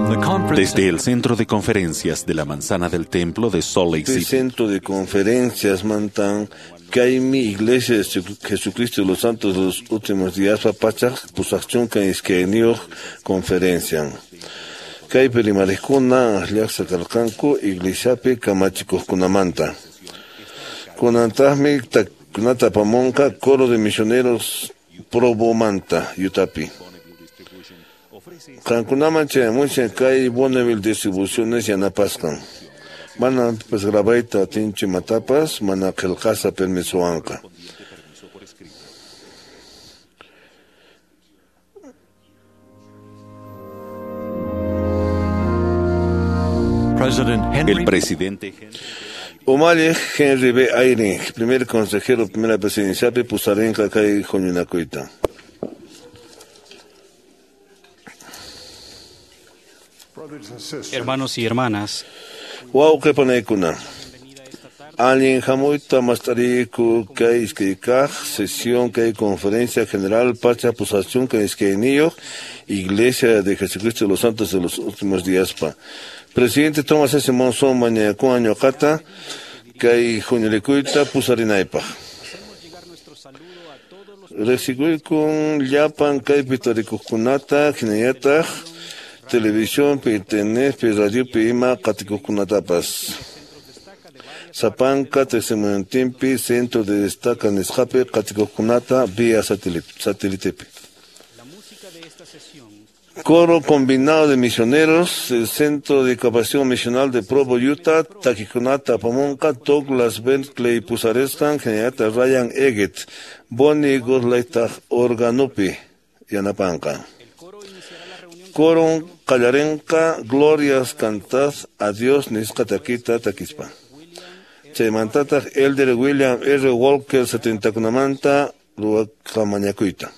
Desde el Centro de Conferencias de la Manzana del Templo de Salt Lake City. Centro de Conferencias mantan kaymi Iglesia de Jesucristo de los Santos de los Últimos Días pachak pusaqchunka iskayniyuq conferencian. Kaypi rimariqkuna llaqsa karqanku iglesiapi kamachikuqkunamanta. Kunantaqmi kunata apamunqa coro de misioneros Probomanta, Utapi. Qankunaman chayamushan kay Bonneville Distribuciones yanapasqan. Mana pipas grabayta atinchu imatapas, mana qillqasqa permisowanqa. El presidente Umalliq Henry B. Eyring, primer consejero primera presidenciapi pusarinqa kay huñunakuyta. Hermanos y hermanas, wawqi panaykuna, allin hamuyta mast'ariyku kay iskay kaq sesión kay conferencia general pacha pusachunka iskayniyuq Iglesia de Jesucristo de los Santos de los Últimos Días pa. Presidente Thomas S. Monson mañakuwan ñuqata kay huñulikuyta pusarinaypaq. Riqsikuykun llapan kaypi tarikuqkunata hinallataq televisionpi, internetpi, radiopi ima qatikuqkunatapas. Sapanka testimoniotinpi centro de destaca nisqapi qatikuqkunata vía satélitepi. Coro combinado de misioneros, el Centro de Capacitación Misional de Provo, Utah, takikunata apamunqa, Douglas Bentley pusarisqan, hinallataq Ryan Eggett, Bonnie Goslaytaq organopi yanapanqa. Coron qallarinqa Glorias cantad a Dios nisqa takita takispa. Chaymantataq Elder William R. Walker 70kunamanta ruwasqa mañakuyta.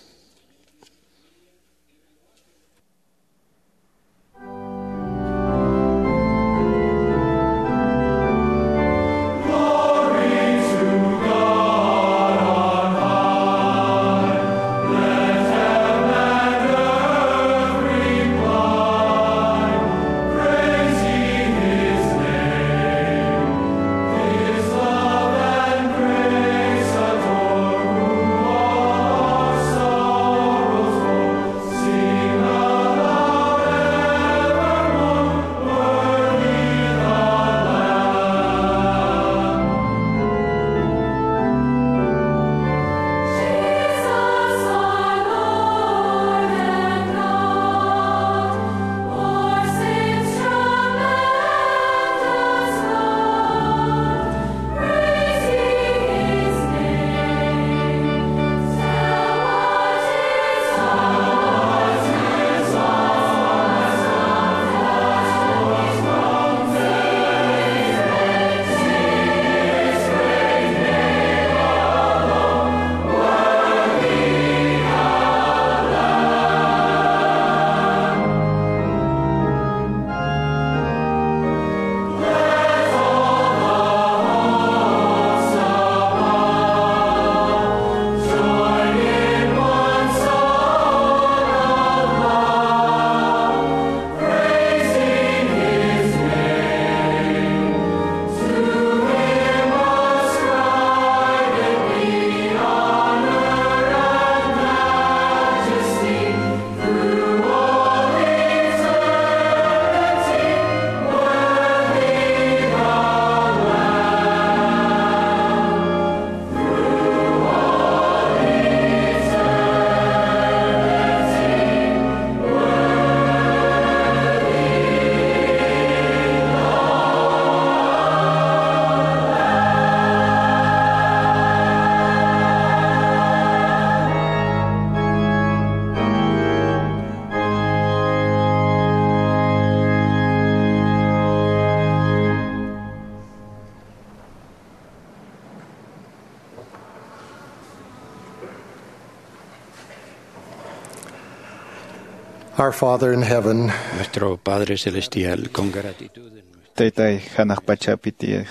Our Father in heaven, nuestro Padre Celestial, con gratitud. Taytay hanaq pachapi tiyaq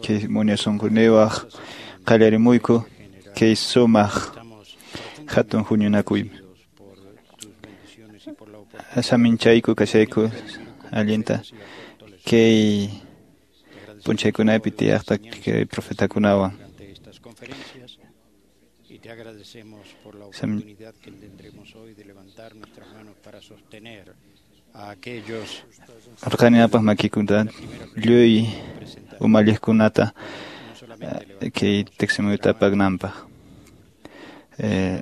kay munasunkunewaq qallarimuyku kay sumaq hatun huñunakuymi. Saminchayku kashayku allinta kay p'unchaykunapi tiyaqta kay profetakunawan. Y te agradecemos por la oportunidad que tendremos hoy de levantar nuestras manos para sostener a aquellos Arqaninapaq makikunata lluy umalliqkunata kay tiksimuyta apagnanpaq.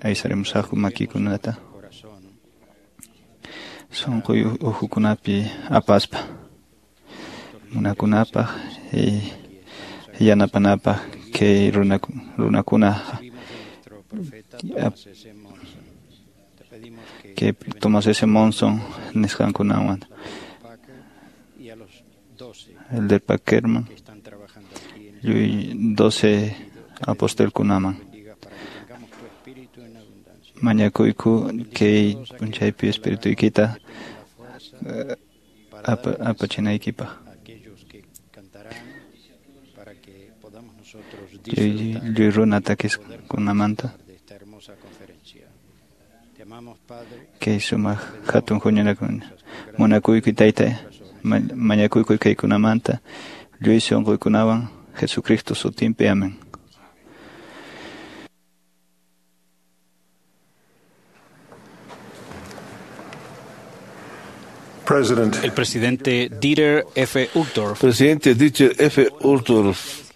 Aysarimusaqku makikunata sunquy uhukunapi apaspa munakunapaq yanapanapaq kay runakuna kay Thomas S. Monson nisqankunawan Elder Packerman lluy 12 apostolkunaman mañakuyku kay p'unchaypi espirituykita apachinaykipaq lluy runa takisqakunamanta kay sumaq hatun huñunakuna munakuyku tayta mañakuyku kaykunamanta lluy sunquykunawan Jesucristo sutinpi amén. El presidente Dieter F. Uchtdorf. Presidente Dieter F. Uchtdorf.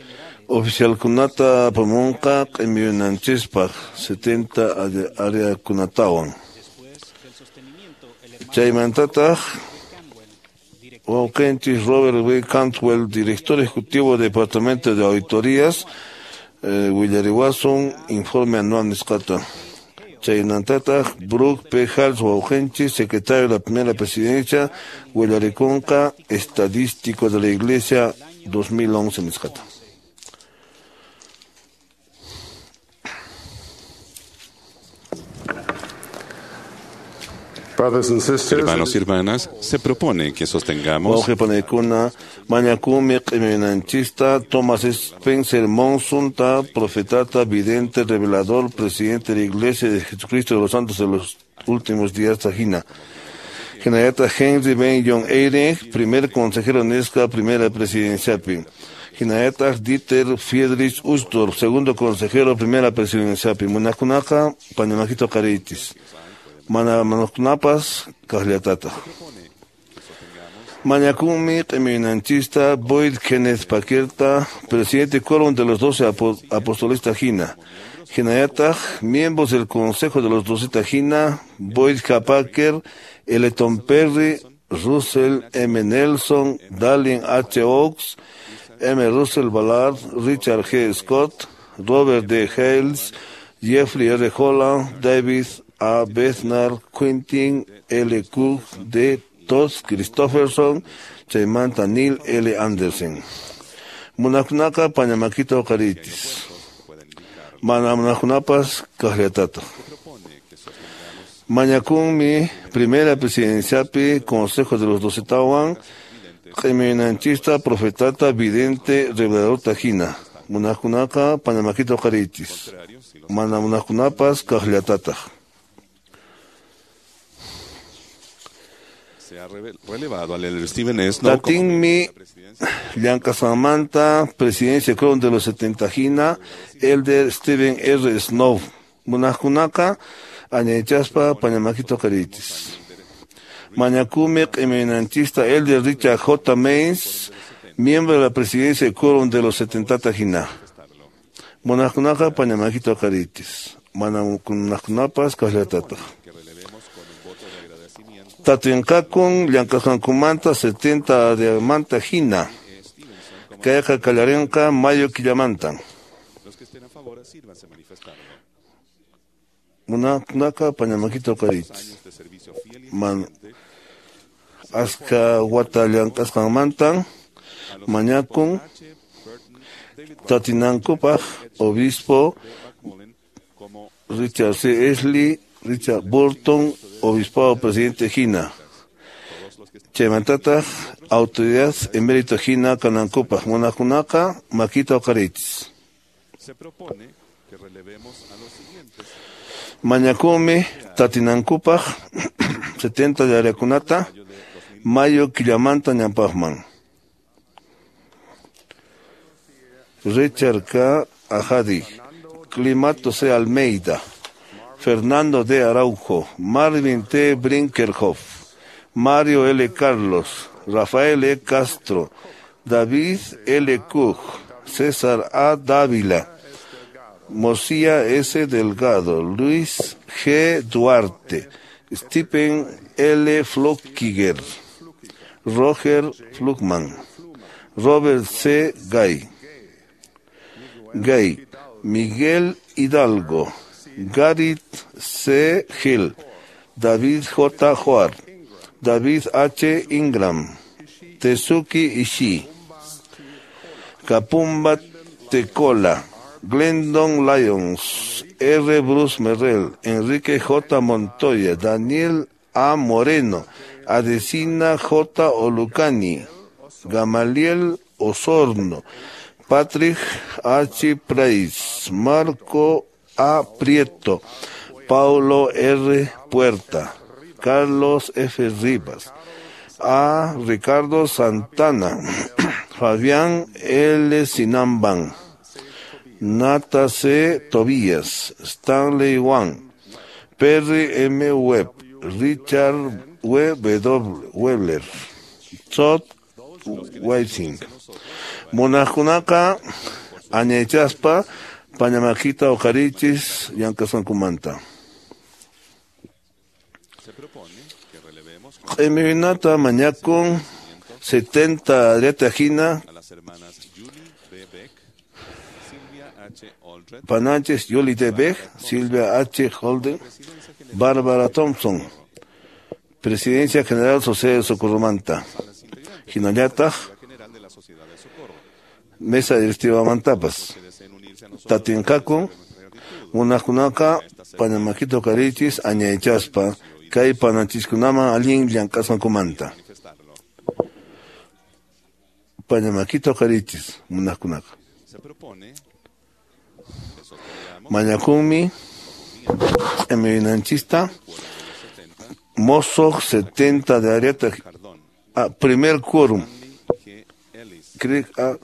Oficialkunata apamunqa q'imiyunanchispaq 70 áreakunatawan. Chaymantataq wawqinchis Robert W. Cantwell, director ejecutivo del Departamento de Auditorías, willariwasun informe anual nisqata. Chaymantataq Brooke P. Hals wawqinchis, secretario de la Primera Presidencia, willarikunqa estadístico de la Iglesia 2011 nisqata. Hermanos y hermanas, se propone que sostengamos Mañakumi q'iminanchista Thomas Spencer Monson, ta profetata, vidente, revelador, presidente de la Iglesia de Jesucristo de los Santos de los Últimos Días, Tajina. Hinayata Henry Ben John Eyring, primer consejero Nesca, primera presidenciapi. Hinayata Dieter Friedrich Uchtdorf, segundo consejero, primera presidenciapi. Munakunaka, pañamajito caritis. Mana manakunapas kaqllatata. Mañakumi q'iminanchista Boyd Kenneth Paquerta, presidente quórum de los 12 apóstoles Tajina. Hinayataq, miembros del Consejo de los 12 Tajina, Boyd K. Packer, Eleton Perry, Russell M. Nelson, Dallin H. Oaks, M. Russell Ballard, Richard G. Scott, Robert D. Hales, Jeffrey R. Holland, David A. Bednar, Quentin L. Cook, D. Todd Christofferson, Chaymanta Neil L. Andersen. Munakunaka pañamakita uqaritis. Mana munakunapas kaqllatata. Mañakunmi primera presidenciapi Consejo de los Doce Tawan, q'iminanchista, profetata, vidente, revelador tajina. Munakunaka pañamakita uqaritis. Mana munakunapas kaqllatata. Se ha relevado al elder Steven S. Snow Tatinmi llank'asqanmanta presidencia quórum de los 70 hina elder Steven R. Snow. Munaqkunaqa añaychaspa pañamakita uqaritis. Mañakumi q'iminanchista elder Richard J. Mains, miembro de la presidencia quórum de los 70 hina. Munaqkunaqa pañamakita uqaritis. Mana munaqkunapas kaqllatataq. Tatinqakun llank'asqankumanta 70 áreamanta hina. Kayqa qallarinqa mayo killamanta. Munakunaka pañamakita uqaritis. Man aska wata llank'asqanmantan mañakun tatinankupaq obispo Richard C. Ashley, Richard Burton, obispado presidente hina. Chaymantataq autoridad emérito hina kanankupaq munakunaka makita uqaritis. Se propone que relevemos a los siguientes. Mañakumi tatinankupaq 70 de áreakunata mayo killamanta ñampaqman. Richard K. Ajadi, Climato C. Almeida, Fernando D. Araujo, Marvin T. Brinkerhoff, Mario L. Carlos, Rafael E. Castro, David L. Cook, César A. Dávila, Mosía S. Delgado, Luis G. Duarte, Stephen L. Flockiger, Roger Flugman, Robert C. Gay, Miguel Hidalgo, Gareth C. Hill, David J. Hoar, David H. Ingram, Tezuki Ishii, Kapumba Tecola, Glendon Lyons, R. Bruce Merrell, Enrique J. Montoya, Daniel A. Moreno, Adesina J. Olucani, Gamaliel Osorno, Patrick H. Price, Marco A. Prieto, Paulo R. Puerta, Carlos F. Rivas, A. Ricardo Santana, Fabián L. Sinamban, Nata C. Tobías, Stanley Wang, Perry M. Webb, Richard W. Webler, Todd Whiting. Munaqkunaqa añaychaspa pañamakita uqarichis llank'asqankumanta. Q'imiwinata mañakun 70 ariata hina Pananchis Yuli T. Beck, Silvia H. Holden, Bárbara Thompson, Presidencia General Sociedad de Socorromanta, Hinallataq, Mesa Directiva Mantapas, Tatinqakun, munaqkunaqa pañamakita uqarichis añaychaspa kay pananchiskunaman allin llank'asqankumanta. Pañamakita uqarichis munaqkunaqa. Mañakunmi q'imiwinanchista mosoq 70 de ariata primer quórum Craig A.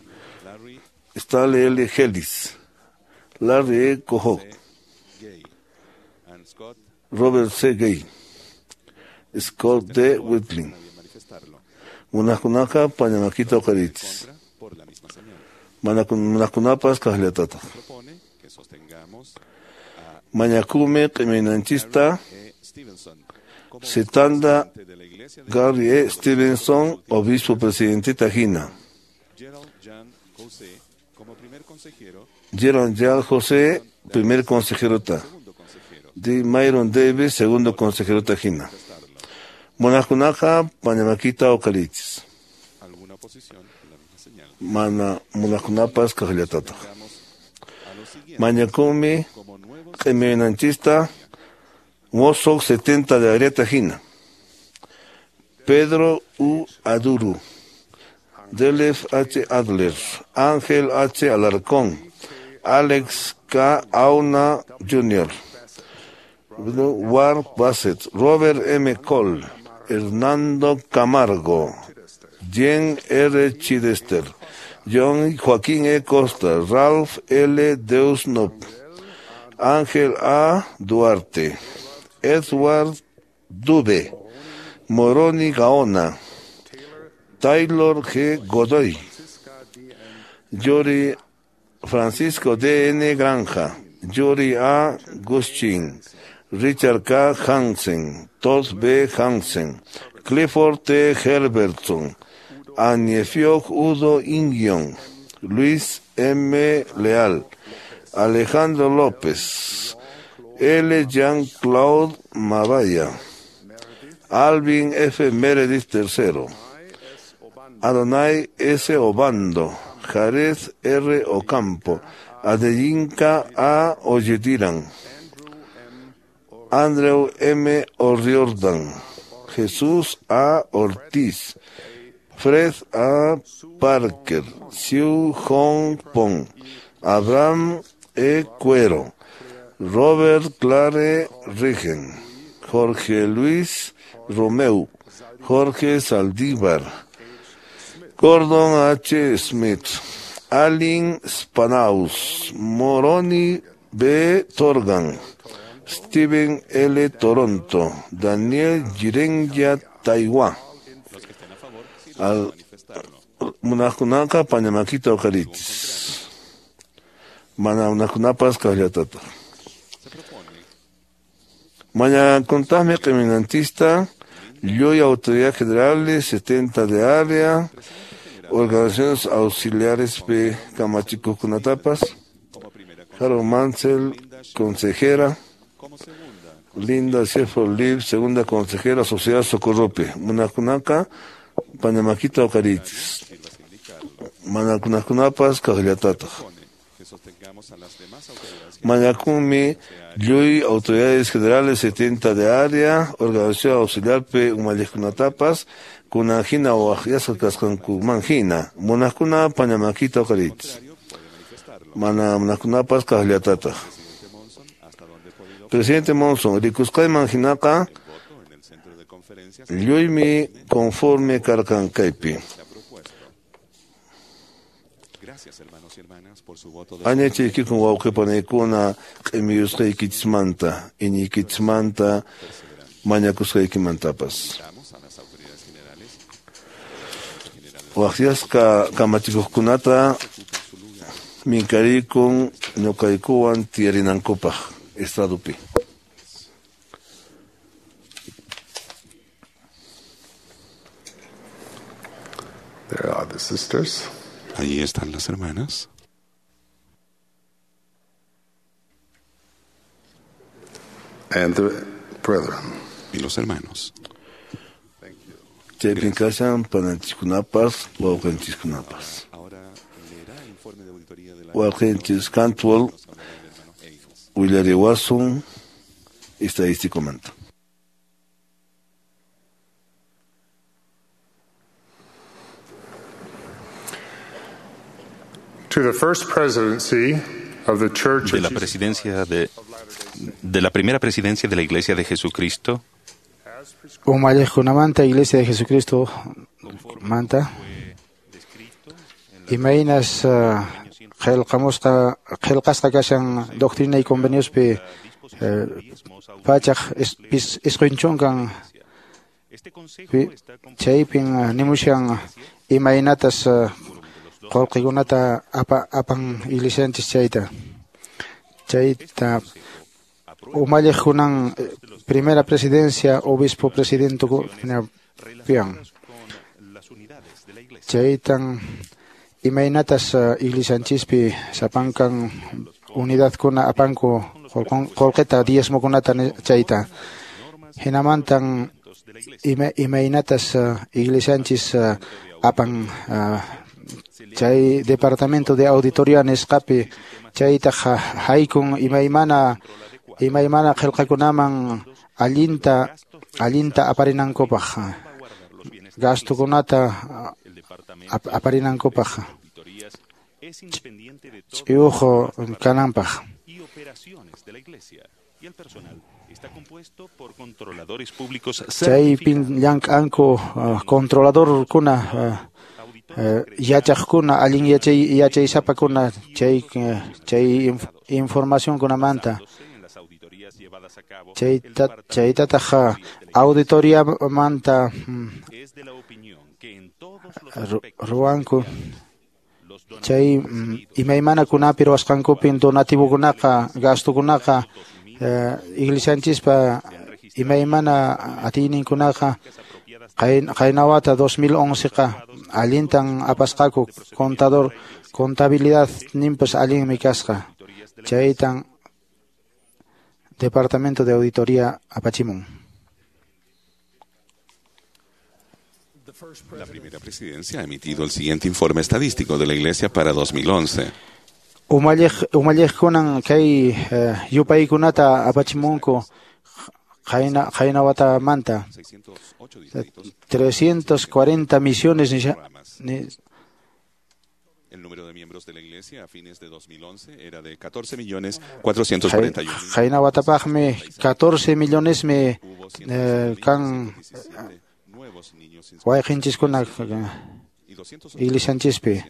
Stanley L. Hellis, Larry E. Cojo, Robert C. Gay, Scott D. Whitling. Munaqkunaqa pañamakita uqarichis. Munaqkunapas kaqllatataq. Mañakumi q'iminanchista Setanda Gary E. Stevenson, obispo presidente hina. Gerald Jan José, primer consejero ta. D. Myron Davis, segundo consejero tajina. Munaqkunaqa pañamakita uqarichis. Mana munaqkunapas kaqllatataq. Mañakunmi q'imiwinanchista mosoq 70 de ariata hina. Pedro U. Aduru, Delef H. Adler, Ángel H. Alarcón, Alex K. Auna Jr., Ward Bassett, Robert M. Cole, Hernando Camargo, Jen R. Chidester, John Joaquín E. Costa, Ralph L. Deusnop, Ángel A. Duarte, Edward Dube, Moroni Gaona, Taylor G. Godoy, Yuri Francisco D. N. Granja, Yuri A. Guschin, Richard K. Hansen, Todd B. Hansen, Clifford T. Herbertson, Aniefiok Udo Ingion, Luis M. Leal, Alejandro López, L. Jean-Claude Mabaya, Alvin F. Meredith III, Adonai S. Obando, Jared R. Ocampo, Adeyinka A. Oyediran, Andrew M. O'Riordan, Jesús A. Ortiz, Fred A. Parker, Siu Hong Pong, Abraham E. Cuero, Robert Clare Rigen, Jorge Luis Romeu, Jorge Saldívar, Gordon H. Smith, Alin Spanaus, Moroni B. Torgan, Steven L. Toronto, Daniel Jirenya Taiwán. Munaqkunaqa pañamakita uqarichis. Mana munaqkunapas kaqllatataq. Mañakuntaqmi q'iminantista, lluy autoridad generales, 70 de área, organizaciones auxiliares P. Kamachikuqkunatapas, Harold Mansell, consejera, Linda Sheffield Liv, segunda consejera, Sociedad Socorrope. Munaqkunaqa pañamakita uqarichis. Manakunaqkunapas kaqllatataq. Mañakunmi lluy autoridades generales 70 de área, organización auxiliar P. Umalliqkunatapas, kunanhina waqyasqa kasqankumanhina. Munaqkuna pañamakita uqarichis. Mana munaqkunapas kaqllatataq. Presidente Monson, rikusqayman hinaqa lluymi conforme karqan kaypi. Añachaykikun wawqipanaykuna q'imiyusqaykichismanta, iñiykichismanta, mañakusqaykimantapas. Waqyasqa kamachikuqkunata minkarikun ñuqaykuwan tiyarinankupaq estadupi. There are the sisters. Allí están las hermanas. And the brethren. Y los hermanos. Chaypin kashan pananchiskunapas, wawqinchikkunapas. Wawqinchis Cantwell willariwasun estadisticomanta. To the first presidency of the Church de la presidencia de la primera presidencia de la Iglesia de Jesucristo. Umalliqkunamanta Iglesia de Jesucristo manta. Imaynas qillqamusqa qillqasqa kashan doctrina y conveniospi pachaq isqunchunkan chaypin nimushan imaynatas qullqikunata apan iglesianchis chayta chayta umalliqkunan primera presidencia obispo presidente pian chaytan imaynatas iglesianchispi sapankan unidadkuna apanku qullqita diezmokunata chayta hinamantan imaynatas iglesianchis apan chay departamento de auditoría nisqapi chaytaq haykun imaymana qillqakunaman allinta aparinankupaq gastukunata aparinankupaq ch'iyuq kananpaq. Chaypin llank'anku controladorkuna yachaqkuna allin yachaysapakuna chay informacionkunamanta chaytataq auditoriamanta ruwanku chay imaymanakunapi ruwasqankupin donativokunaqa gastukunaqa iglesianchispa imaymana atiyninkunaqa qaynawata 2011qa allintan apasqaku contador contabilidad ninpas allinmi kasqa chaytan departamento de auditoría apachimun. La primera presidencia ha emitido el siguiente informe estadístico de la Iglesia para 2011. Umalliqkunan kay yupaykunata apachimunku qaynawatamanta 340 misiones. El número de miembros de la Iglesia a fines de 2011 era de 14.441.000. Qaynawatapaqmi 14 millonesmi Kan wayqinchiskuna iglesianchispi.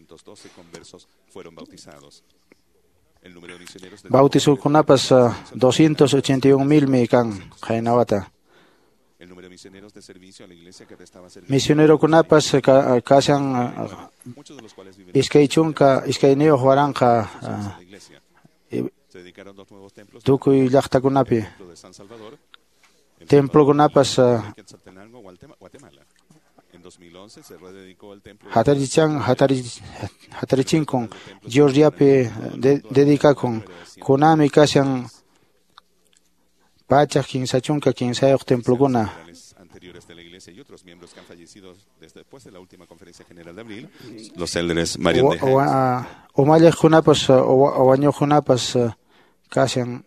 Bautizokunapas 281,000 mi kan qaynawata. Misionerokunapas kashan 22 waranqa tukuy llaqtakunapi. Templokunapas hatarichinkun Georgiapi dedicakun kunami kashan 133 templokuna. Umalliqkunapas wañuqkunapas kashan.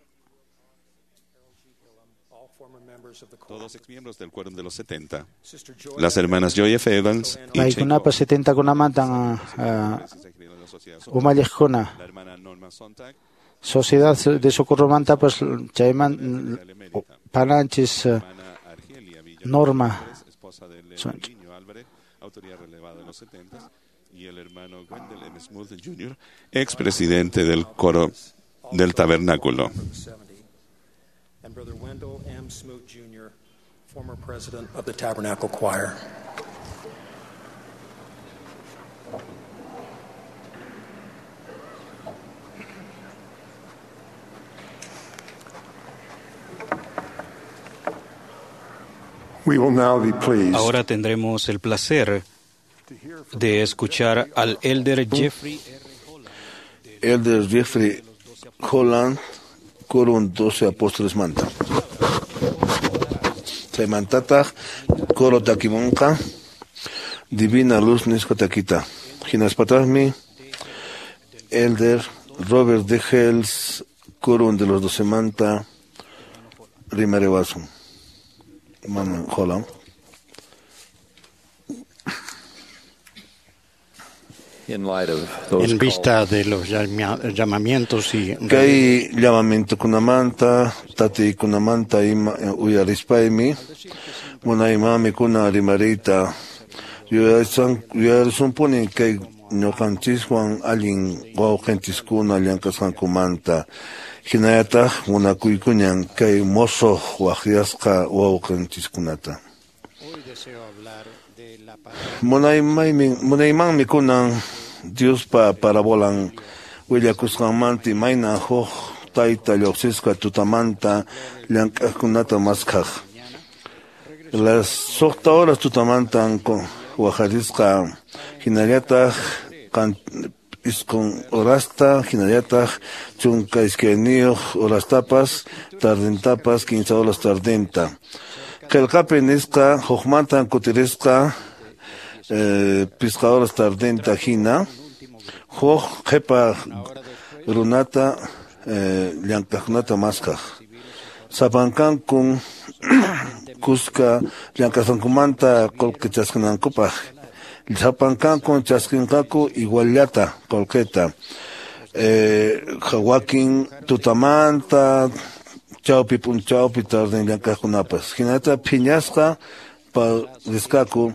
Todos exmiembros del Quórum de los 70. Las hermanas Joy F. Evans y Paykunapas 70kunamantan umalliqkuna. La hermana Norma Sontag. Sociedad de Socorromantapas chayman pananchis Norma. Esposa de Niño Álvarez, autoridad relevada de los 70, y el hermano Wendell M. Smooth Jr., expresidente del coro del tabernáculo. And Brother Wendell M. Smoot, Jr., former president of the Tabernacle Choir. We will now be pleased Ahora tendremos el placer de escuchar al Elder Jeffrey Elder Jeffrey Holland, Quórum 12 Apóstoles manta. Chaymantataq coro takimunqa Divina Luz nisqa takita. Hinaspataqmi Elder Robert D. Hales, Quórum de los 12 manta rimariwasun. Hermano Holland. En vista de los llamamientos y Kay llamamientokunamanta, tatiykunamanta ima uyarispaymi, munaymanmi kuna rimariyta yuyarisunpuni kay ñuqanchiswan allin wawqinchiskuna llank'asqankumanta, hinallataq munakuykuñan kay musuq waqyasqa wawqinchiskunata. Munaymanmi kunan Diospa parabolan willakusqanmanta imayna huk tayta lluqsisqa tutamanta llank'aqkunata maskhaq. Las 6 horas tutamantan waqarisqa hinallataq 9 horasta hinallataq 12 horastapas tardentapas 15 horas tardenta. Qillqapi nisqa hukmantan kutirisqa 5 horas tardenta hina huk qhipa runata llank'aqkunata maskhaq. Sapankankun kuska llank'asqankumanta qullqi chaskinankupaq. Sapankankun chaskinqaku iguallata qullqita. Wakin tutamanta chawpi p'unchawpi tarden llank'aqkunapas. Hinata phiñasqa risqaku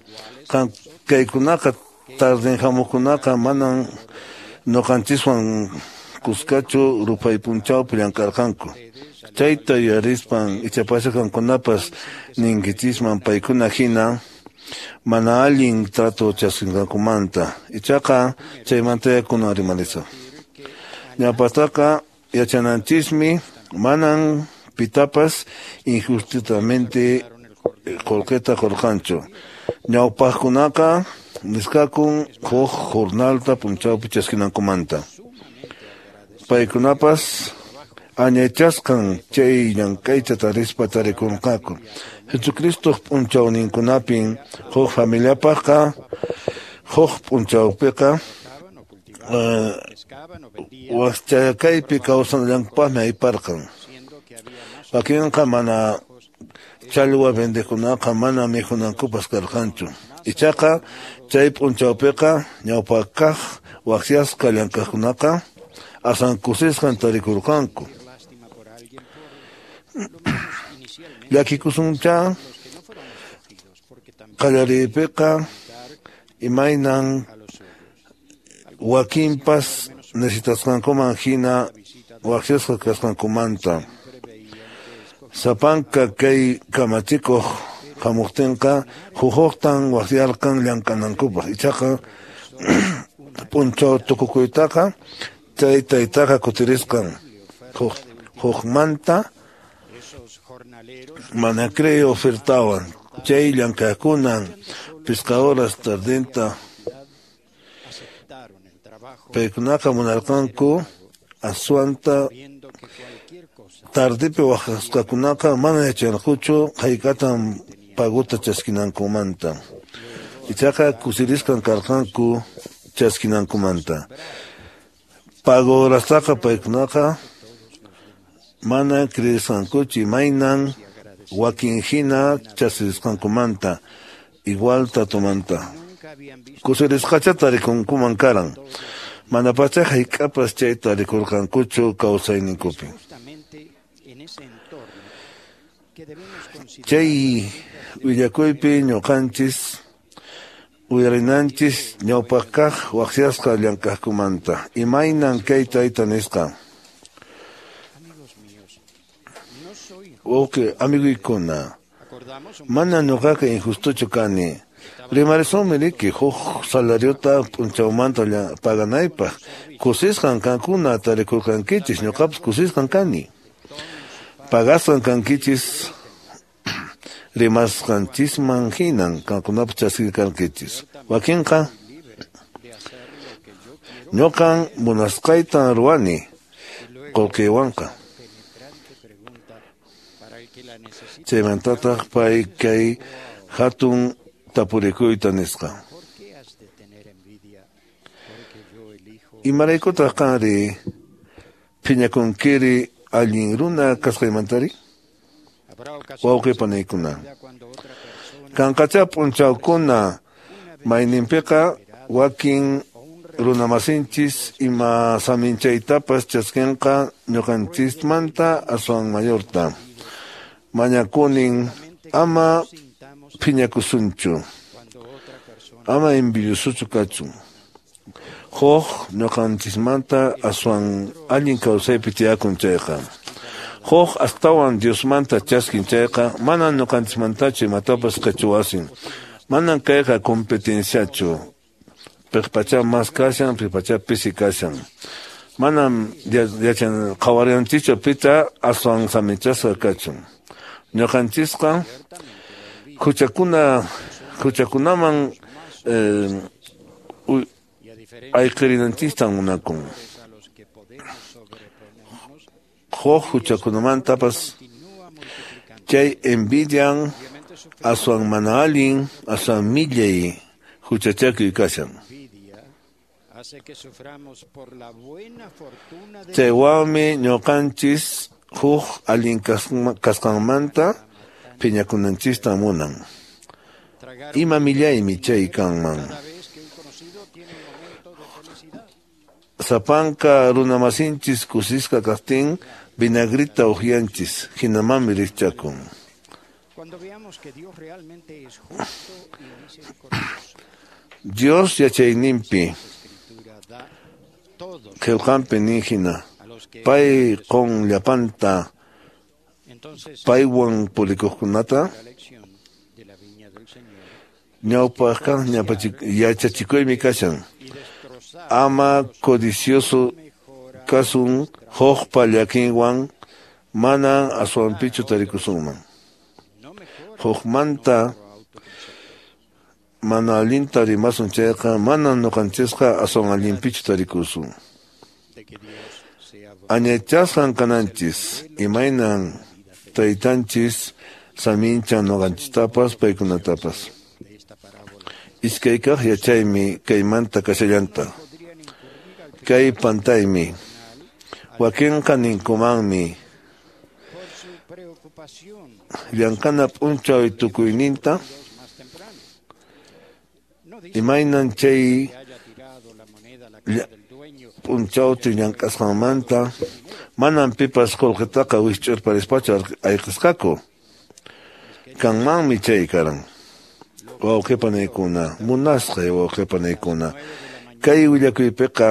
kaykunaqa tarden hamuqkunaqa manan ñuqanchiswan kuskachu ruphay p'unchawpi llank'arqanku. Chayta yuyarispan ichapas qamkunapas ninkichisman paykuna hina mana allin trato chaskinqankumanta. Ichaqa chaymanta kunan rimarisaq. Ñawpaqtaqa yachananchismi manan pitapas injustamente qullqita qurqanchu. Ñawpaqkunaqa nisqakun huk jornalta p'unchawpi chaskinankumanta. Paykunapas añaychasqan chay llank'ayta tarispa tarikunqaku. Jesucristoq p'unchawninkunapin huk familiapaqqa huk p'unchawpiqa wakchakaypi kawsanallankupaqmi ayparqan. Wakinqa mana challwa vendeqkunaqa mana mikhunankupas karqanchu. Ichaqa chay p'unchawpiqa ñawpaqkaq waqyasqa llank'aqkunaqa asan kusisqan tarikurqanku. Llakikusuncha qallariypiqa imaynan wakinpas necesitasqankuman hina waqyasqa kasqankumanta. Sapanka kay kamachikuq hamuqtinqa huk-huktan waqyarqan llank'anankupaq. Ichaqa p'unchaw tukukuytaqa chay taytaqa kutirisqan hukmanta mana crey ofertawan chay llank'aqkunan pisqa horas tardenta paykunaqa munarqanku aswanta tardipi waqasqakunaqa mana yacharqankuchu hayk'atan paguta chaskinankumanta. Ichaqa kusirisqan karqanku chaskinankumanta. Pago horastaqa paykunaqa mana creesqankuchu imaynan wakin hina chaskisqankumanta igual tratomanta. Kusirisqacha tarikunkuman karan. Mana pacha hayk'apas chayta rikurqankuchu kawsayninkupi. Chay willakuypi ñuqanchis uyarinanchis ñawpaqkaq waqyasqa llank'aqkumanta. Imaynan kay tayta nisqa. Wawqi amiguykuna, mana ñuqaqa injustochu kani. Rimarisunmi riki huk salariota p'unchawmanta paganaypaq. Kusisqan kankuna tarikurqankichis, ñuqapas kusisqan kani. Pagasqan kankichis rimasqanchisman hinan kankunapas chaskirqankichis. Wakinqa ñuqan munasqaytan ruwani qullqiywanqa. Chaymantataq pay kay hatun tapurikuyta nisqa. Imaraykutaq qanri phiñakunkiri allin runa kasqaymantari? Wawqi panaykuna, kanqacha p'unchawkuna mayninpiqa wakin runamasinchis ima saminchaytapas chaskinqa ñuqanchismanta aswan mayorta. Mañakunin ama phiñakusunchu, ama envidiosochu kachun. Huk ñuqanchismanta aswan allin kawsaypi tiyakun chayqa. Huk astawan Diosmanta chaskin chayqa manan ñuqanchismantachu imatapas qichwasin. Manan kayqa competenciachu. Piqpacha mas kashan, piqpacha pisi kashan. Manam yachan qhawarinanchikchu pita aswan saminchasqa kachun. Ñuqanchisqa huchakunaman ayqirinanchistan munakun. Huk huchakunamantapas chay envidian aswan mana allin, aswan millay huchachakuy kashan. Chaywanmi ñuqanchis huk allin kasqanmanta phiñakunanchista munan. Ima millaymi chay kanman. Sapanka runamasinchis kusisqa kaqtin vinagrita uqyanchis, hinamanmi rikchakun. Dios yachayninpi qillqanpi nin hina, pay qun llapanta paywan purikuqkunata ñawpaqkaq yachachikuymi kashan. Ama codicioso kasun hukpa llakinwan mana aswanpichu tarikusunman. Hukmanta mana allinta rimasun chayqa mana ñuqanchisqa aswan allinpichu tarikusun. Añaychasqan kananchis imaynan taytanchis saminchan ñuqanchistapas paykunatapas. Iskaykaq yachaymi kaymanta kashallanta. Kay pantaymi. Wakinqa ninkumanmi llank'ana p'unchaw tukuyninta imaynan chay p'unchawta llank'asqanmanta manam pipas qullqitaqa wikch'urparispachu ayqisqaku. Kanmanmi chay karan. Wawqipanaykuna, munasqay wawqipanaykuna. Kay willakuypiqa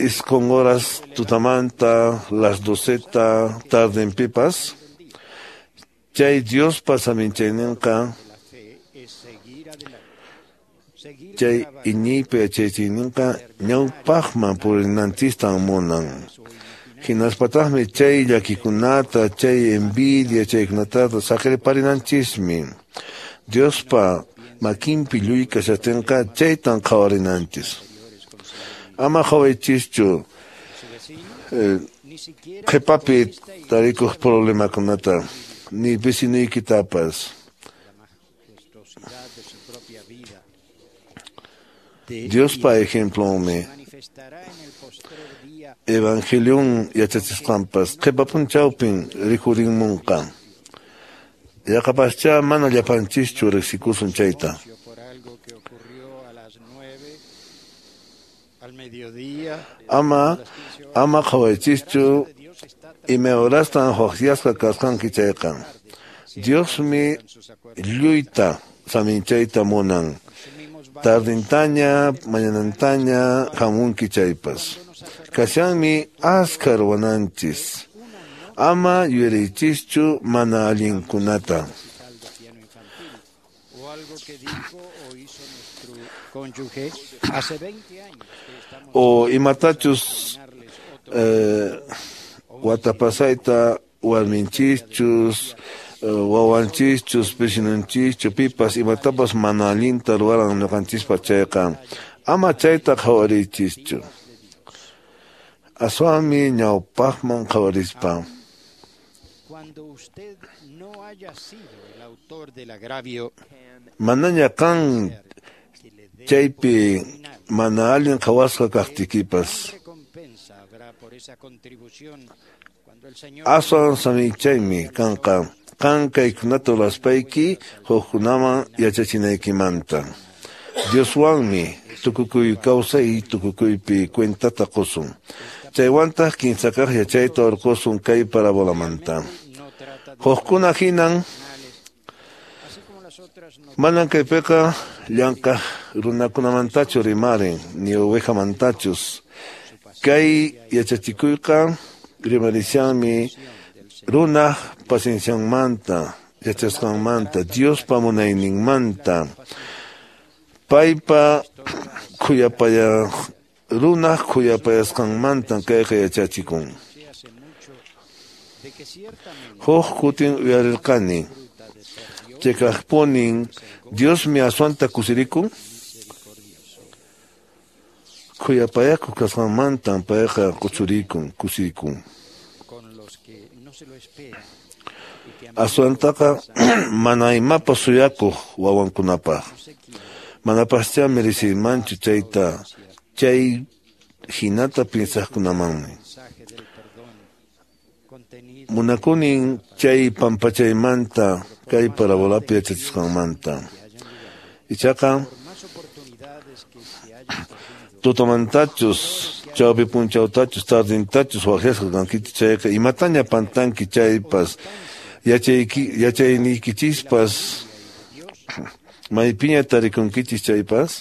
isqun horas tutamanta las 12 tardenpipas chay Diospa saminchayninqa chay iñiypa yachachiyninqa ñawpaqman purinanchistan munan. Hinaspataqmi chay llakikunata, chay envidia, chaykunataqa saqirparinanchismi. Diospa makinpi lluy kashaqtinqa chaytan qhawarinanchis. Ama qhawaychischu qhipapi tarikuq problemakunata ni vecinoykitapas. Diospa ejemplonmi Evangelion yachachisqanpas qhipa p'unchawpin rikhurinmunqa. Yaqapaschá mana llapanchischu riqsikusun chayta. Ama qhawaychischu imay horastan waqyasqa kasqanki chayqa. Diosmi lluyta saminchayta munan. Tardintaña, mañanantaña hamunki chaypas. Kashanmi askha ruwananchis. Ama yuyariychischu mana allinkunata. O imatachus watapasayta warminchischus, wawanchischus, vecinonchischu, pipas imatapas mana allinta ruwaran ñuqanchispa chayqa. Ama chayta qhawariychischu. Aswanmi ñawpaqman qhawarispa. Manaña qan chaypi mana allin qhawasqa kaqtiykipas. Aswan saminchaymi kanqa qan kaykunata ruraspayki hukkunaman yachachinaykimanta. Dioswanmi tukukuy kawsay tukukuypi cuentata qusun. Chaywantaq kinsakaq yachayta urqusun kay parabolamanta. Hukkuna hinan manan kaypiqa llank'aq runakunamantachu rimarin ni ovejamantachu. Kay yachachikuyqa rimarishanmi runaq paciencianmanta, yachasqanmanta, Diospa munayninmanta, paypa khuyapaya runaq khuyapayasqanmantan kayqa yachachikun. Huk kutin uyarirqani, cheqaqpunin Diosmi aswanta kusirikun. Khuyapayakuq kasqanmantan payqa quchurikun, kusirikun. Aswantaqa mana imapas suyakuq wawankunapaq. Manapaschá mereciymanchu chayta, chay hinata pinsaqkunamanmi. Munakunin chay pampachaymanta kay parabolapi yachachisqanmanta. Ichaqa tutamantachus, chawpi p'unchawtachus, tardintachus waqyasqa kankichis chayqa imataña pantanki chaypas, yachayniykichispas maypiña tarikunkichis chaypas,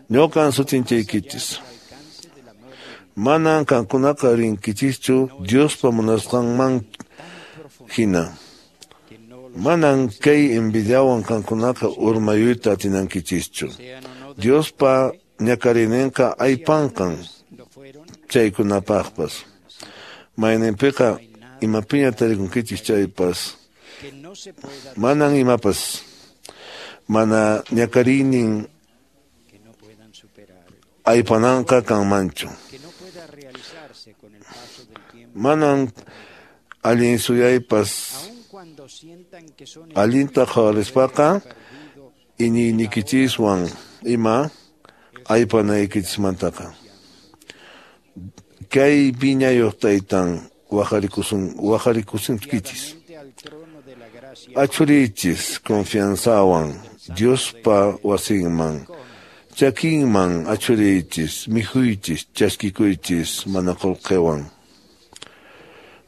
ñuqan sutinchaykichis. Manan qankunaqa rinkichischu Diospa munasqanman hina. Manan kay envidiawan qankunaqa urmayuyta atinankichischu. Diospa ñakarininqa aypanqan chaykunapaqpas. Mayninpiqa imapiña tarikunkichis chaypas, manan imapas mana ñakariynin aypananqa kanmanchu. Manan allin suyaypas allinta qhawarispaqa iñiyniykichiswan ima aypanaykichismantaqa. Kay viñayuq taytan waqarikusunkichis. Achuriychis confianzawan Diospa wasinman, chakinman achuriychis, mikhuychis, chaskikuychis mana qullqiwan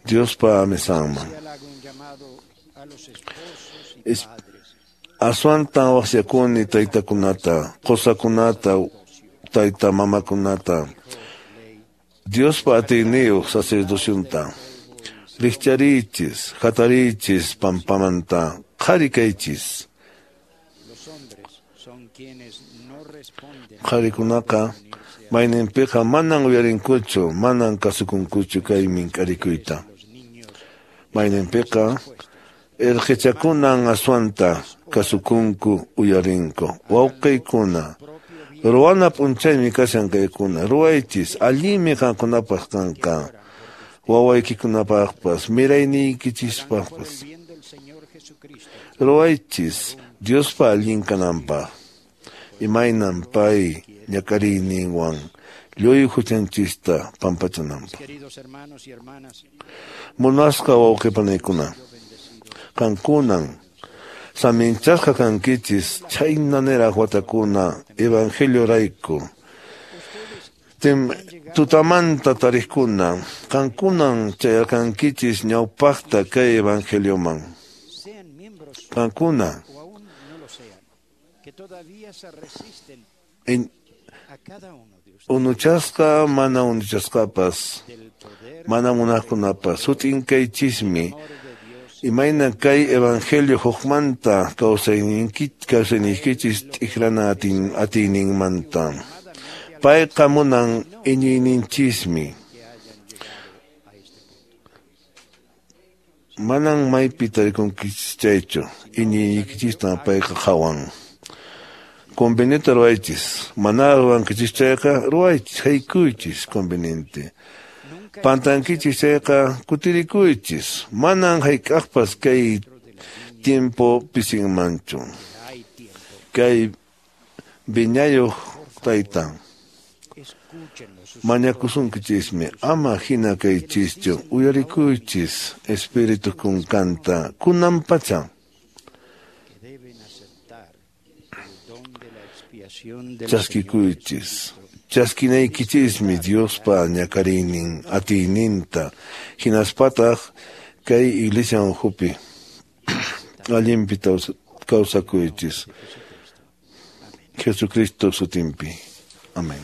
Diospa mesanman. Aswantan waqyakuni taytakunata, qusakunata, tayta mamakunata, Diospa atiyniyuq sacerdocionta. Rikcharichis, hatariychis pampamanta, qhari kaychis. Qharikunaqa mayninpiqa manan uyarinkuchu, manan kasukunkuchu kay mink'arikuyta. Mayninpiqa irqichakunan aswanta kasukunku uyarinku. Wawqiykuna, ruwana p'unchaymi kashan kaykuna, ruwaychis, allinmi qankunapaq kanqa, wawaykikunapaqpas, mirayniykichispaqpas. Ruwaychis Diospa allin kananpaq, imaynan pay ñak'ariyninwan lluy huchanchista pampachananpaq. Munasqa wawqipanaykuna, qankunan saminchasqa kankichis chhayna niraq watakuna evangelio rayku. Tutamanta tariqkuna, qankunan chayarqankichis ñawpaqta kay evangelioman. Qankuna unuchasqa mana unuchasqapas, mana munaqkunapas, sut'in kaychismi imayna kay evangelio hukmanta kawsayniykichis t'ikrana atiyninmanta. Payqa munan iñiyninchismi. Manan maypi tarikunkichis chaychu, iñiyniykichistan payqa qhawan. Conveniente ruwaychis, mana ruwankichis chayqa ruwaychis, haykuychis conveniente. Pantankichis chayqa kutirikuychis, manan hayk'aqpas kay tiempo pisinmanchu. Kay viñayuq taytan mañakusunkichismi, ama hina kaychischu, uyarikuychis espíritu kunkanta kunan pacha. Chaskikuychis, chaskinaykichismi Diospa ñak'ariynin atiyninta, hinaspataq kay iglesia ukhupi allinpi kawsakuychis. Jesucristo sutinpi. Amén.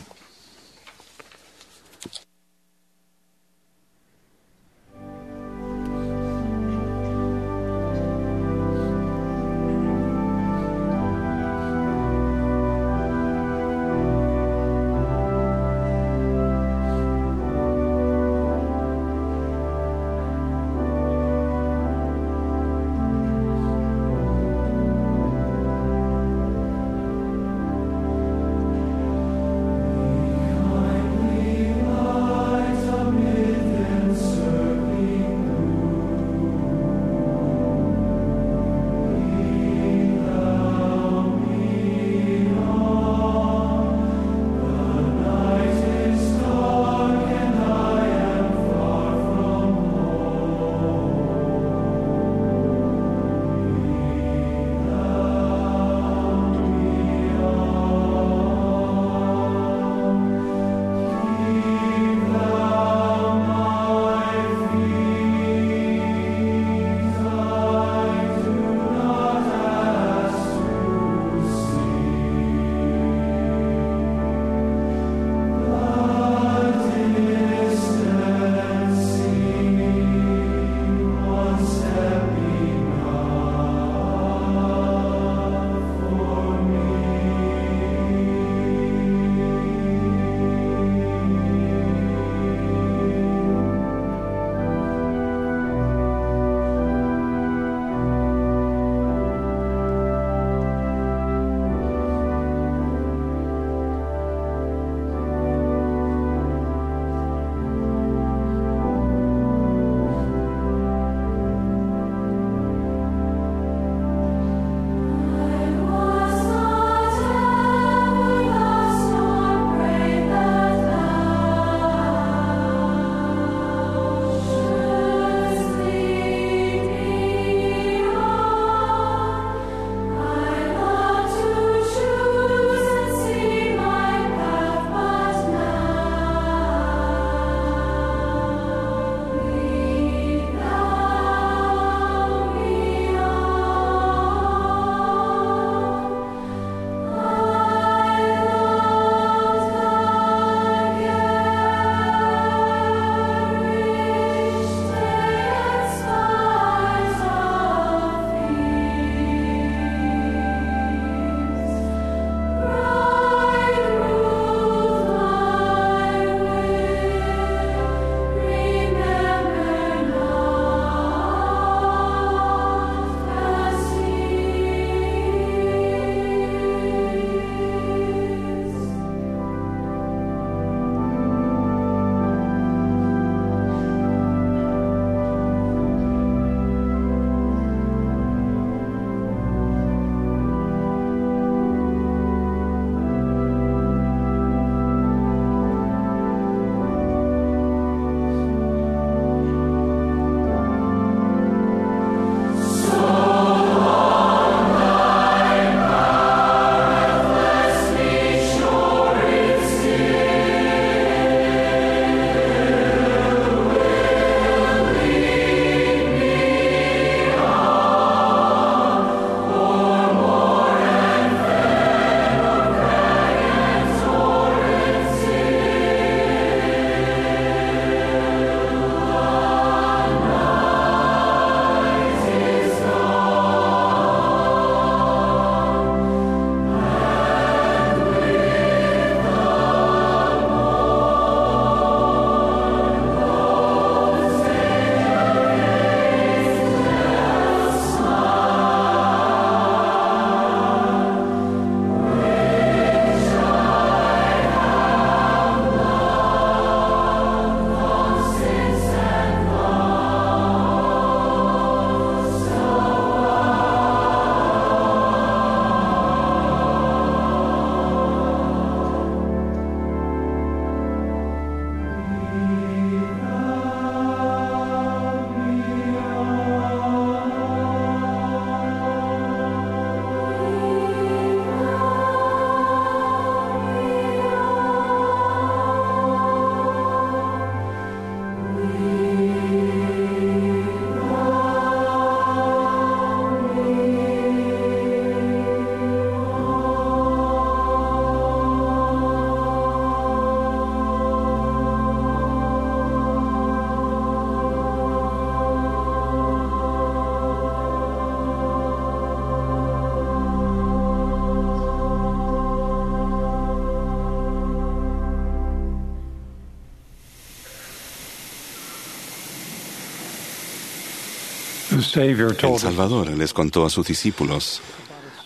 El Salvador les contó a sus discípulos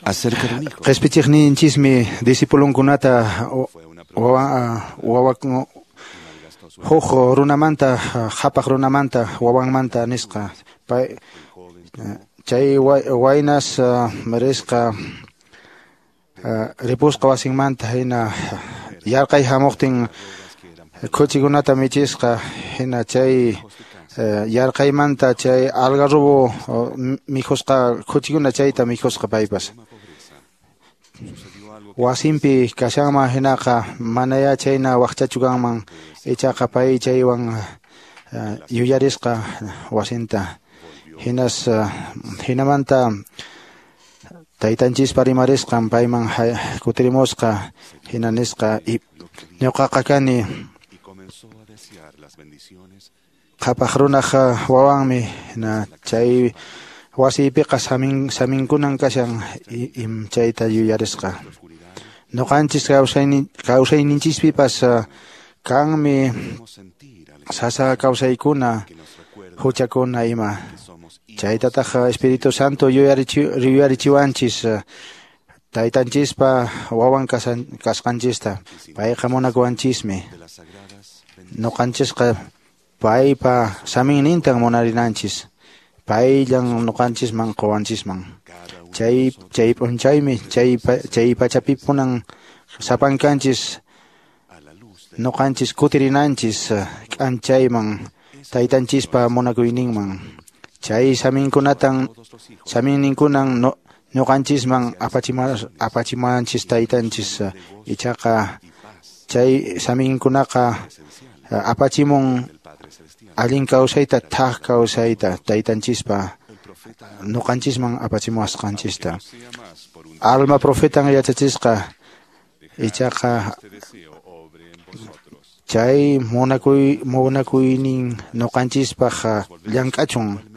acerca de un hijo. Qhispichiqninchismi discipulunkunata wawa huk runamanta, qhapaq runamanta, wawanmanta nisqa. Pay chay waynas risqa ripusqa wasinmanta hina yarqay hamuqtin khuchikunata michisqa hina chay yarqaymanta chay algarrobo mikhusqa khuchikuna chayta mikhusqa paypas. Wasinpi kashanman hinaqa manaya chayna waqchachu kanman ichaqa pay chaywan yuyarisqa wasinta. Hinas hinamanta taytanchispa rimarisqan payman kutirimusqa hina nisqa ñuqaqa kani qhapaq runaq wawanmi hina chay wasiypiqa saminkunan kashan chayta yuyarisqa. Ñuqanchis kawsayninchispipas kanmi sasa kawsaykuna huchakuna ima. Chaytataq Espíritu Santo yuyarichiwanchis taytanchispa wawan kasqanchista. Payqa munakuwanchismi. Ñuqanchisqa paypa saminnintan munarinanchis. Payllan ñuqanchisman quwanchisman. Chay p'unchaymi chay pachapipunan sapankanchis ñuqanchis kutirinanchis k'anchayman taytanchispa munakuyninman. Chay saminkunatan saminninkunan ñuqanchisman apachimanchis taytanchis ichaqa chay saminkunaqa apachimun allin kawsayta thak kawsayta taytanchispa ñuqanchisman apachimuwasqanchista. Alma profetan yachachisqa ichaqa chay munakuynin ñuqanchispaq llank'achun.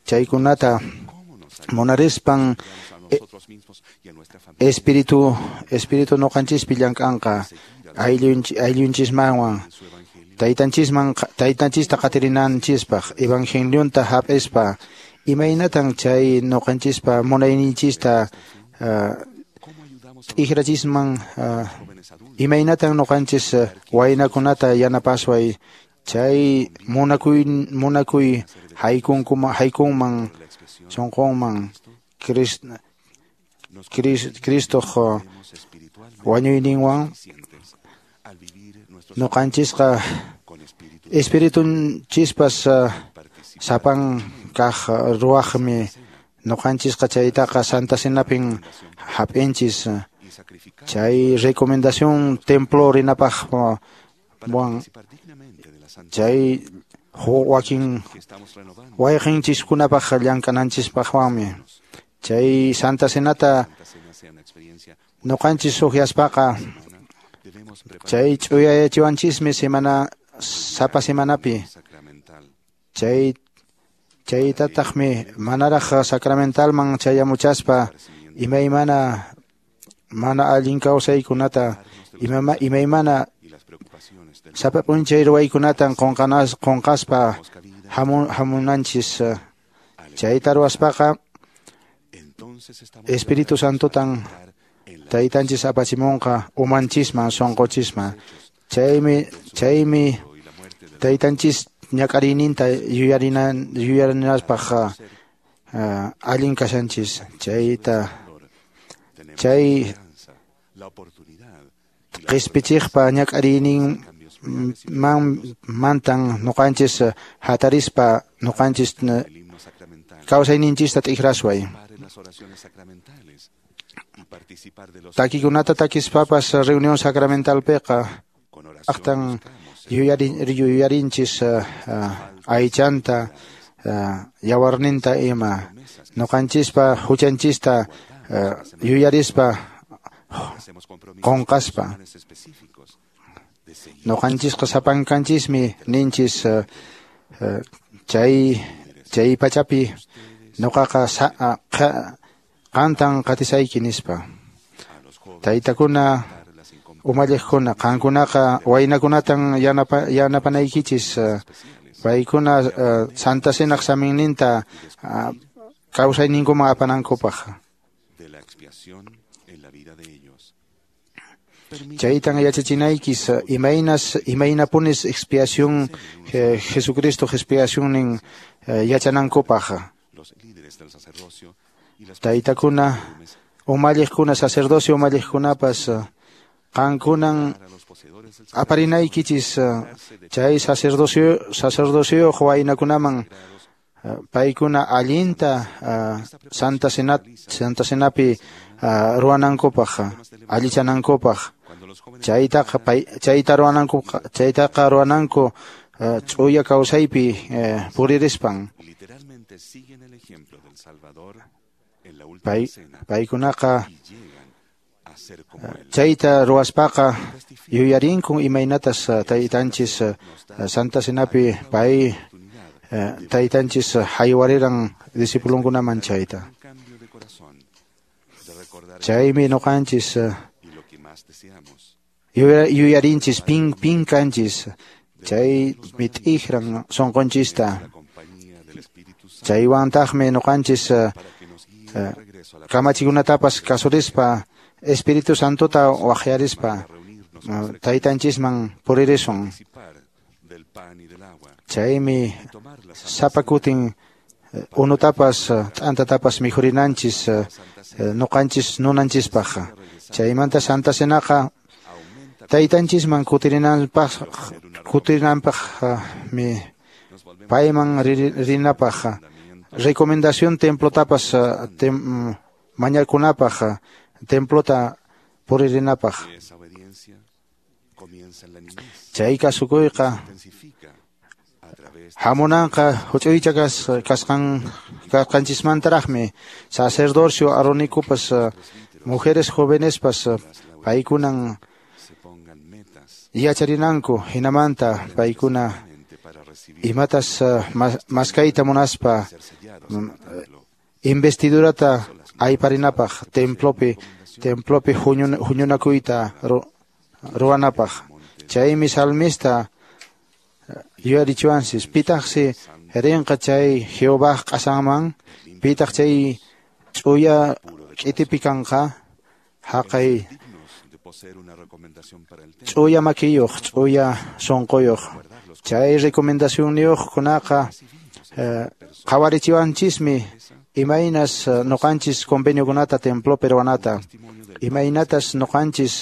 Chaykunata munarispan espíritu ñuqanchispi llank'anqa ayllunchismanwan taytanchista qatirinanchispaq evangelionta hap'ispa imaynatan chay ñuqanchispa munayninchista t'ikrachisman imaynatan ñuqanchis waynakunata yanapasway chay munakuy haykunman sunqunman Cristoq wañuyninwan ñuqanchisqa espiritunchispas sapan kaq ruwaqmi ñuqanchisqa chaytaqa Santa Cenapin hap'inchis. Chay recomendación templo rinapaq wan chay wakin wayqinchiskunapaq llank'ananchispaqwanmi chay Santa Cenata ñuqanchis uqyaspaqa chay ch'uyayachiwanchismi semana sapa semanapi chaytataqmi manaraq sacramentalman chayamuchaspa imaymana mana allin kawsaykunata imaymana sapa p'unchay ruwaykunatan qunqaspa hamunanchis. Chayta ruwaspaqa Espíritu Santotan taytanchis apachimunqa umanchisman sunquchisman. Chaymi taytanchis ñak'ariyninta yuyarinaspaq allin kashanchis. Chay qhispichiqpa ñak'ariynin mantan ñuqanchis hatarispa ñuqanchis kawsayninchista t'ikrasway. Takikunata takispapas reunión sacramentalpiqa aqtan yuyarinchis aychanta yawarninta ima ñuqanchispa huchanchista yuyarispa qunqaspa. Ñuqanchisqa sapankanchismi ninchis chay pachapi ñuqaqa qantan qatisayki nispa. Taytakuna umalliqkuna qankunaqa waynakunatan yanapanaykichis Paykuna Santa Cenaq saminninta kawsayninkuman apanankupaq. Chaytan yachachinaykis imaynapunis expiación Jesucristo expiacionnin yachanankupaq. Taytakuna umalliqkuna sacerdocio umalliqkunapas qankunan aparinaykichis chay sacerdocio waynakunaman paykuna allinta Santa Cenapi ruwanankupaq allichanankupaq chaytaqa ruwananku ch'uya kawsaypi puririspan. Paykunaqa chayta ruwaspaqa yuyarinkun imaynatas taytanchis Santa Cenapi pay taytanchis haywariran discipulunkunaman chayta. Chaymi ñuqanchis yuyarinchis pin kanchis chay mit'ijran sunqunchista. Chaywantaqmi ñuqanchis kamachikunatapas kasurispa Espíritu Santota waqyarispa taytanchisman puririsun. Chaymi sapa kutin unutapas t'antatapas mikhurinanchis ñuqanchis nunanchispaq. Chaymanta Santa Cenaqa taytanchisman kutirinanpaqmi payman rinapaq recomendación templotapas mañakunapaq templota puririnapaq. Chay kasukuyqa hamunanqa huch'uycha kasqanchismantaraqmi sacerdocio aronikupas mujeres jovenespas paykunan yacharinanku hinamanta paykuna imatas maskayta munaspa investidurata ayparinapaq templopi huñunakuyta ruwanapaq. Chaymi salmista yuyarichiwanchis pitaqsi rinqa chay Jehová q'asanman pitaq chay ch'uya k'itipi kanqa haqay ch'uya makiyuq ch'uya sunquyuq. Chay recomendacionniyuqkunaqa qhawarichiwanchismi imaynas ñuqanchis conveniokunata templopi ruwanata imaynatas ñuqanchis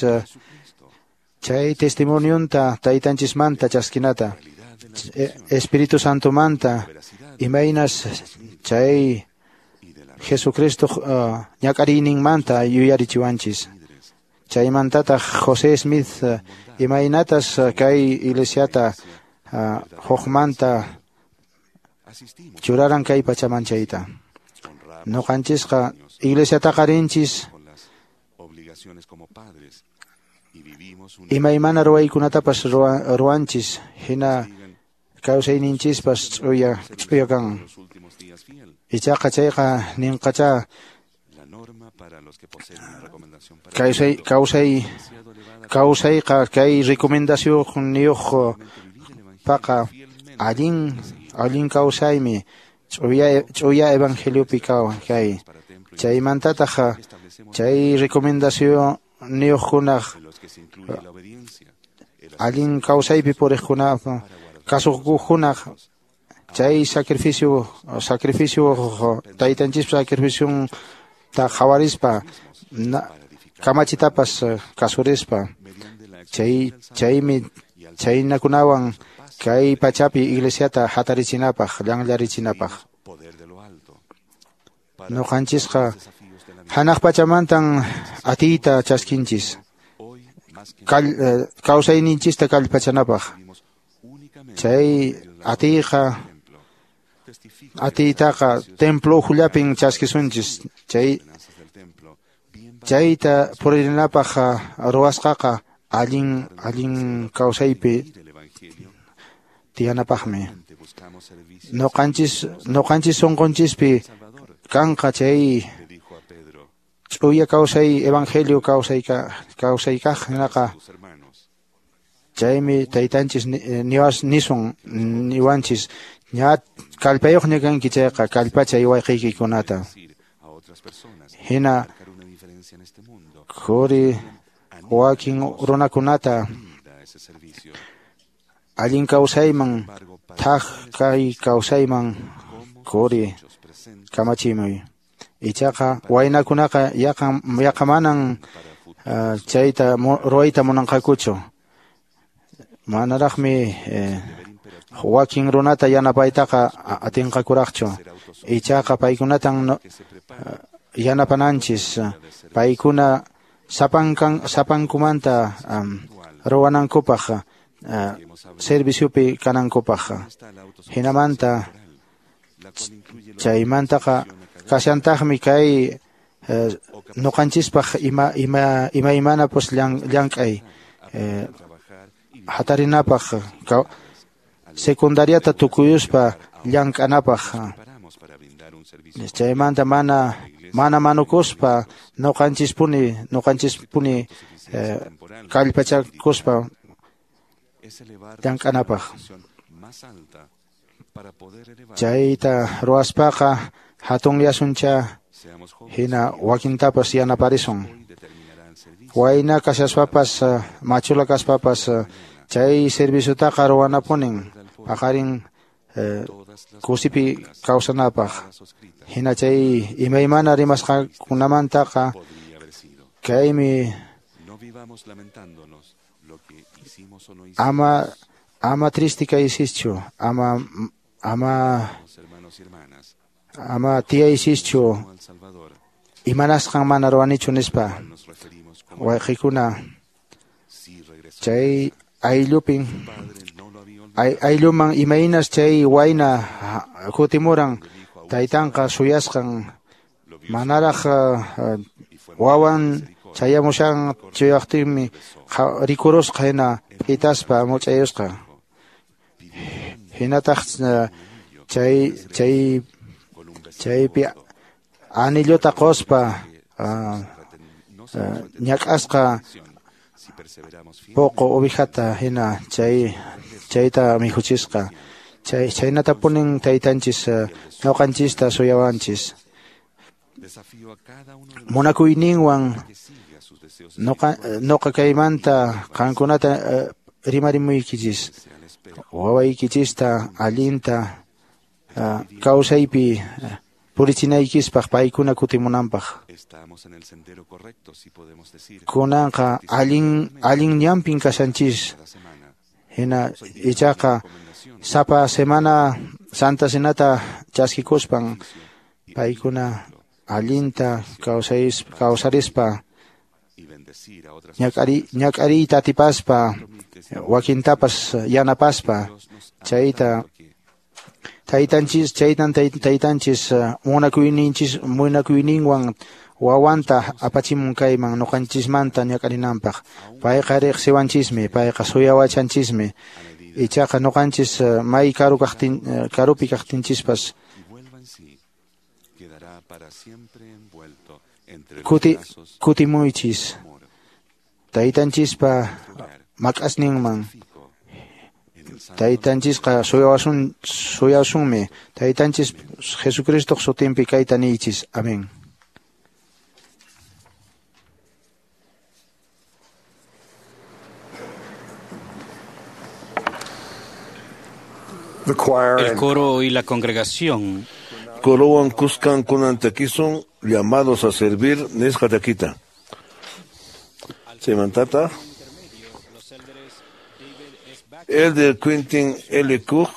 chay testimonionta taytanchismanta chaskinata Espíritu Santomanta imaynas chay Jesucristo ñak'ariyninmanta yuyarichiwanchis. Chaymantataq José Smith imaynatas kay iglesiata hukmanta churaran kay pachaman chayta. Ñuqanchisqa iglesiataqa rinchis imaymana ruwaykunatapas ruwanchis hina kawsayninchispas ch'uya kan. Ichaqa chayqa ninqacha kawsayqa kay recomendacionniyuq paqa allin kawsaymi ch'uya evangeliopi kay. Chaymantataq chay recomendacionniyuqkunaq allin kawsaypi puriqkunaq kasukuqkunaq chay sacrificio taytanchispa sacrificionta qhawarispa kamachitapas kasurispa chaymi chaynakunawan kay pachapi iglesiata hatarichinapaq llanllarichinapaq. Ñuqanchisqa hanaq pachamantan atiyta chaskinchis kawsayninchista kallpachanapaq. Chay atiytaqa templo ukhullapin chaskisunchis. Chayta puririnapaq ruwasqaqa allin kawsaypi tiyanapaqmi. Ñuqanchis sunqunchispi kanqa chay ch'uya kawsay evangelio kawsaykaq hinaqa Chaymi taytanchis nisun niwanchis ña kallpayuqña kanki chayqa kallpachay wayqiykikunata. Hina quri wakin runakunata allin kawsayman thak kay kawsayman quri kamachimuy. Ichaqa waynakunaqa yaqa manan chayta ruwayta munanqakuchu. Manaraqmi wakin runata yanapaytaqa atinqakuraqchu. Ichaqa paykunatan yanapananchis. Paykuna sapankumanta ruwanankupaq, serviciopi kanankupaq. Hinamanta chaymantaqa kashantaqmi kay nuqanchispaq imaymana pues llank'ay hatarinapaq, secundariata tukuyuspa llank'anapaq. Chaymanta mana manukuspa nuqanchispuni kallpachakuspa llank'anapaq. Chayta ruwaspaqa hatunyasuncha hina wakintapas yanaparisun. Wayna kashaspapas machula kaspapas chay serviciotaqa ruwanapunin paqarin kusipi kawsanapaq. Hina chay imaymana rimasqakunamantaqa kaymi ama triste kaysischu, ama tiyaysischu imanasqan mana ruwanichu nispa. Wayqikuna chay ayllupin aylluman imaynas chay wayna kutimuran taytanqa suyasqan manaraq wawan chayamushan chuyaqtinmi rikurusqa hina p'itaspa much'ayusqa. Hinataq chaypi anillota quspa ñak'asqa poqo ovejata hina chayta mikhuchisqa. Chaynatapunin taytanchis ñuqanchista suyawanchis. Munakuyninwan nuqa kaymanta qankunata rimarimuykichis. Wawaykichista allinta kawsaypi purichinaykispaq paykuna kutimunanpaq. Kunanqa allin ñanpin kashanchis. Hina ichaqa sapa semana Santa Cenata chaskikuspan paykuna allinta kawsarispa ñak'ariyta atipaspa wakintapas yanapaspa chayta taytanchis munakuyninwan wawanta apachimun kayman nuqanchismanta ñak'arinanpaq. Payqa riqsiwanchismi, payqa suyawachanchismi. Ichaqa nuqanchis may karupi kaqtinchispas kutimuychis taytanchispa mak'asninman. Taytanchisqa suyawasunmi. Taytanchis Jesucristoq sutinpi kayta niychis. Amén. El coro y la congregación. Corowan Cuscan kunan takisun, llamados a servir nisqa takita. Chaymantata Elder Quentin L. Cook,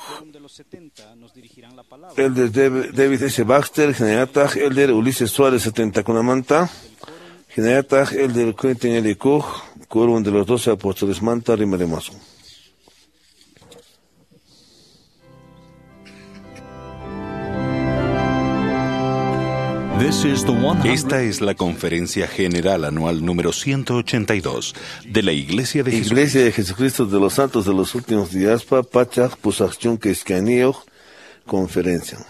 Elder David S. Baxter, hinallataq Elder Ulises Suárez 70kunamanta, hinallataq Elder Quentin L. Cook, quórum de los 12 apóstoles manta rimarimasun. Esta es la Conferencia General Anual número 182 de la Iglesia de Jesucristo. Iglesia de Jesucristo de los Santos de los Últimos Días, Pachaj, Pusachun, Keiskanio, Conferencia.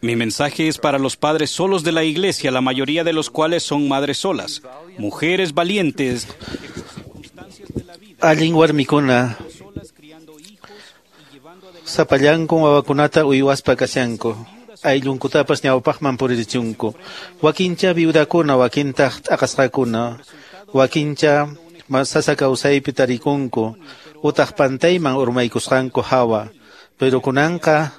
Mi mensaje es para los padres solos de la iglesia, la mayoría de los cuales son madres solas, mujeres valientes. Allin warmikuna sapallanku wawakunata uywaspa kashanku, ayllunkutapas ñawpaqman puririchunku. Wakincha viudakuna, wakintaq t'aqasqakuna, wakincha sasa kawsaypi tarikunku, utaq pantayman urmaykusqanku hawa. Pero kunanqa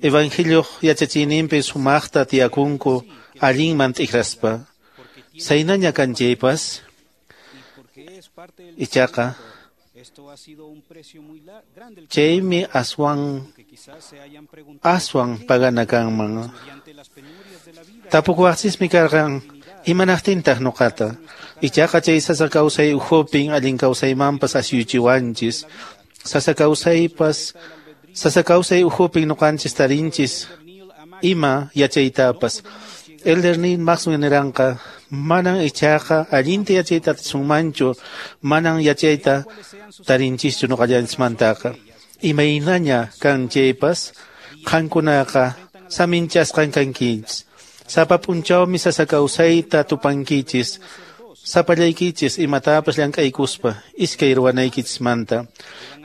evangelioq yachachiyninpi sumaqta tiyakunku allinman t'ikraspa. Saynaña kanchaypas ichaqa chaymi aswan pagana kanman. Tapukuwaqchismi karqan imanaqtintaq nuqata. Ichaqa chay sasa kawsay ukhupin allin kawsaymanpas asyuchiwanchis. Sasa kawsay ukhupin nuqanchis tarinchis ima yachaytapas. Elder Neil Maxwell niranqa manan ichaqa allinta yachayta atisunmanchu, manan yachayta tarinchischu nuqallanchismantaqa. Imaynaña kan chaypas qankunaqa saminchasqan kankichis. Sapa p'unchawmi sasa kawsayta tupankichis, sapallaykichis imatapas llank'aykuspa iskay ruwanaykichismanta.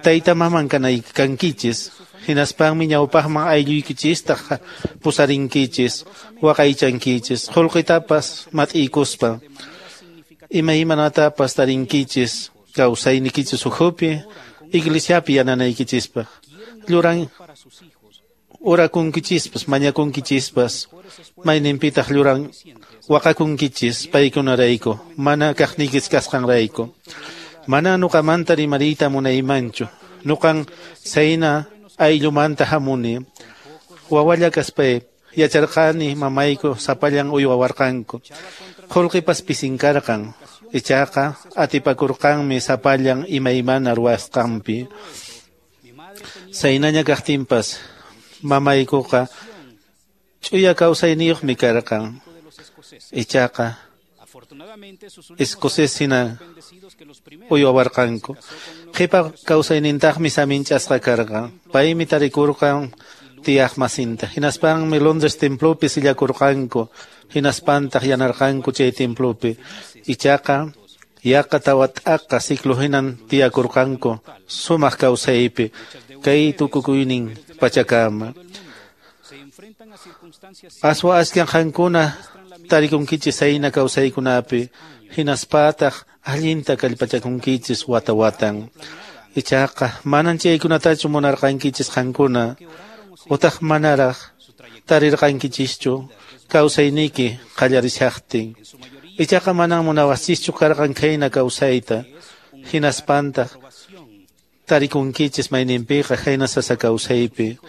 Tayta maman kankichis, hinaspanmi ñawpaqman aylluykichista pusarinkichis, waqaychankichis, qullqitapas mat'iykuspa. Imaymanatapas tarinkichis kawsaynikichis ukhupi, iglesiapi yananaykichispaq. Lluran orakunkichispas, mañakunkichispas, mayninpitaq lluran waqakunkichis paykunarayku, mana kaqniykis kasqanrayku. Mana nuqamanta rimariyta munaymanchu, nuqan sayna ayllumanta hamuni. Wawalla kaspay yacharqani mamayku sapallan uywawarqanku. Qullqipas pisinkarqan, ichaqa atipakurqanmi sapallan imaymana ruwasqanpi. Saynaña kaqtinpas mamaykuqa ch'uya kawsayniyuqmi karqan. Ichaqa escocés hina uywawarqanku. Qhipa kawsaynintaqmi saminchasqa karqan. Paymi tarikurqan tiyaqmasinta. Hinaspanmi Londres templopi sillakurqanku. Hinaspantaq yanarqanku chay templopi. Ichaqa yaqa tawa t'aqa ciclo hinan tiyakurqanku sumaq kawsaypi kay tukukuynin pachakama. Aswa askan qankuna tarikunkichis sayna kawsaykunapi, hinaspataq allinta kallpachakunkichis wata watan. Ichaqa manan chaykunatachu munarqankichis qankuna, utaq manaraq tarirqankichischu kawsayniyki qallarishaqtin. Ichaqa manan munawaqchischu karqan khayna kawsayta, hinaspantaq tarikunkichis mayninpiqa khayna sasa kawsaypi.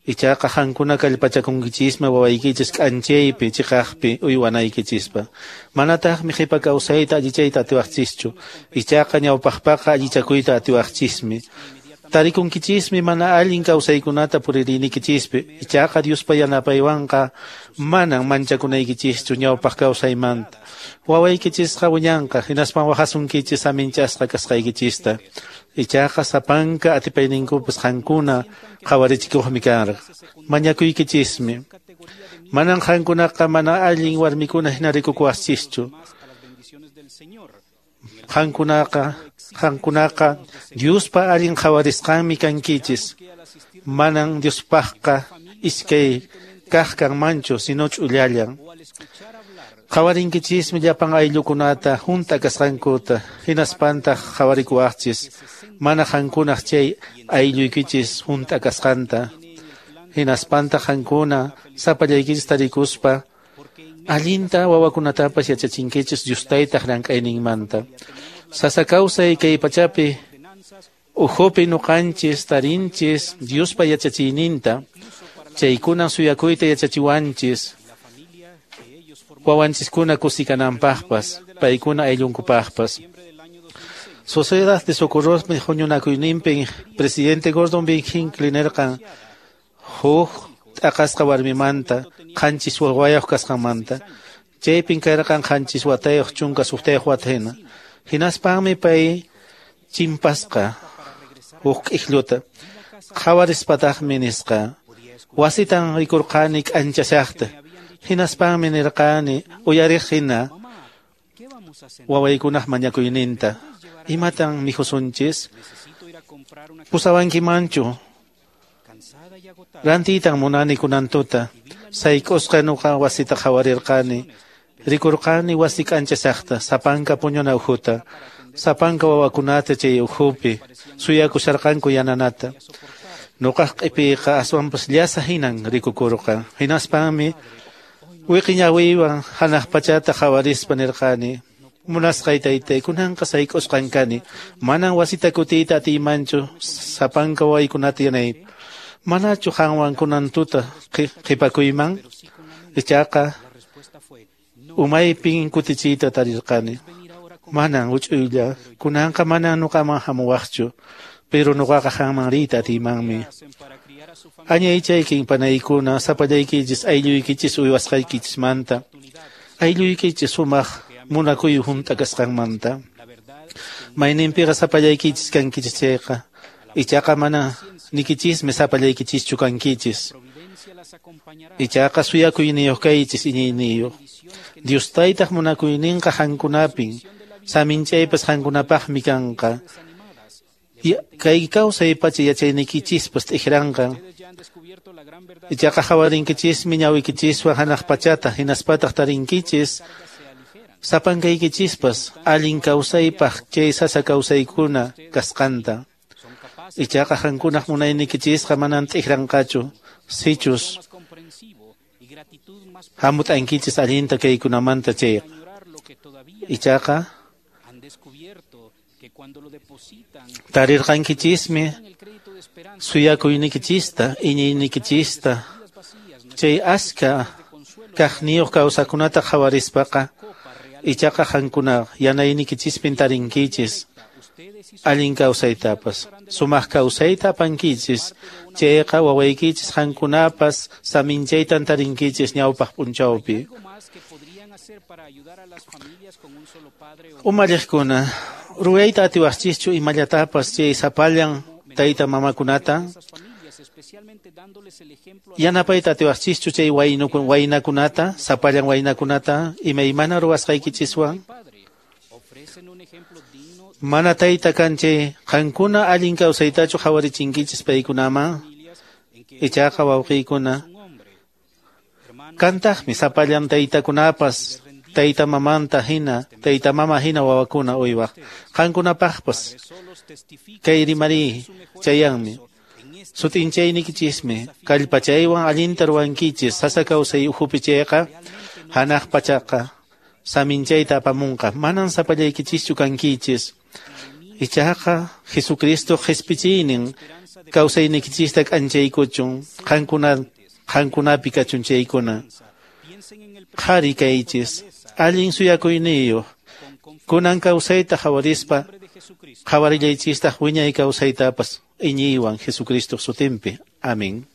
Ichaqa qankuna kallpachakunkichismi wawaykichis k'anchaypi chiqaqpi uywanaykichispa. Manataqmi qhipa kawsayta allichayta atiwaqchischu, ichaqa ñawpaqpaqa allichakuyta atiwaqchismi. Tarikunkichismi mana allin kawsaykunata puririnikichispi, ichaqa Diospa yanapaywanqa manan manchakunaykichischu ñawpaq kawsaymanta. Wawaykichisqa wiñanqa hinaspan waqasunkichis saminchasqa kasqaykichista. Ichaqa sapanka atipayninkupas qankuna qhawarichikuqmi karqa. Mañakuykichismi. Manan qankunaqa mana allin warmikuna hina rikukuwaqchischu. Qankunaqa Diospa allin qhawarisqanmi kankichis. Manan Diospaqqa iskay kaq kanmanchu, sino ch'ullallan. Qhawarinkichismi llapan ayllukunata hunt'a kasqankuta, hinaspantaq qhawarikuwaqchis mana qankunaq chay aylluykichis hunt'a kasqanta. Hinaspantaq qankuna sapallaykichis tarikuspa allinta wawakunatapas yachachinkichis Dios taytaq llank'ayninmanta. Sasa kawsay kay pachapi ukhupi nuqanchis tarinchis Diospa yachachiyninta, chaykunan suyakuyta yachachiwanchis wawanchiskuna kusikananpaqpas, paykuna ayllunkupaqpas. Sociedad de Socorrosmi huñunakuyninpin presidente Gordon B. Hinckley nirqan huk t'aqasqa warmimanta qanchis wawayuq kasqanmanta. Chaypin karqan qanchis watayuq 16 wata hina. Hinaspanmi pay chimpasqa huk k'iklluta. Qhawarispataqmi nisqa, wasitan rikurqani k'anchashaqta, hinaspanmi nirqani uyariq hina wawaykunaq mañakuyninta. Imatan mikhusunchis? Pusawankimanchu? Rantiytan munani kunan tuta. Sayk'usqa nuqa wasita qhawarirqani. Rikurqani wasi k'anchashaqta, sapanka puñuna ukhuta, sapanka wawakunata chay ukhupi suyakusharqanku yananata. Nuqaq q'ipiyqa aswanpas llasa hinan rikukurqa. Hinaspanmi wiqiñawiywan hanaq pachata qhawarispa nirqani, munasqay taytay, kunanqa sayk'usqan kani, manan wasita kutiyta atiymanchu sapanka wawaykunata yanay. Manachu qanwan kunan tuta qhipakuyman? Ichaqa umaypin kutichiyta tarirqani. Manan huch'uylla, kunanqa manan nuqaman hamuwaqchu, pero nuqaqa qanman riyta atiymanmi. Añaychaykin panaykuna, sapallaykichis aylluykichis uywasqaykichismanta, aylluykichis sumaq munakuy hunt'a kasqanmanta. Mayninpiqa sapallaykichis kankichis chayqa, ichaqa mana nikichismi sapallaykichischu kankichis. Ichaqa suyakuyniyuq kaychis iñiyniyuq. Dios taytaq munakuyninqa qankunapin, saminchaypas qankunapaqmi kanqa. Kay kawsay pacha yachayniykichispas t'ikranqa. Ichaqa qhawarinkichismi ñawiykichiswan hanaq pachata, hinaspataq tarinkichis sapankaykichispas allin kawsaypaq chay sasa kawsaykuna kasqanta. Ichaqa qankunaq munayniykichisqa manan t'ikranqachu, sichus hamut'ankichis allinta kaykunamanta chayqa. Ichaqa tarirqankichismi suyakuynikichista, iñiynikichista, chay aska kaqniyuq kawsakunata qhawarispaqa, ichaqa qankuna yanaynikichispin tarinkichis allin kawsaytapas, sumaq kawsayta apankichis, chayqa wawaykichis qankunapas saminchaytan tarinkichis ñawpaq p'unchawpi. Umalliqkuna, ruwayta atiwaqchischu imallatapas chay sapallan tayta mamakunata? Yanapayta atiwaqchischu chay waynakunata, sapallan waynakunata, imaymana ruwasqaykichiswan? Mana tayta kan chay qankuna allin kawsaytachu qhawarichinkichis paykunaman? Ichaqa wawqiykuna, kantaqmi sapallan taytakunapas tayta mamanta hina, tayta mama hina wawakuna uywaq. Qankunapaqpas kay rimari chayanmi. Sut'inchaynikichismi kallpachaywan allinta ruwankichis sasa kawsay ukhupi chayqa hanaq pachaqa saminchayta apamunqa. Manan sapallaykichischu kankichis. Ichaqa Jesucristo qhispichiynin kawsaynikichista k'anchaykuchun, qankunapi kachun chaykuna. Qhari kaychis, allin suyakuyniyuq, kunan kawsayta qhawarispa qhawarillaychistaq wiñay kawsaytapas iñiywan Jesucristo sutinpi. Amén.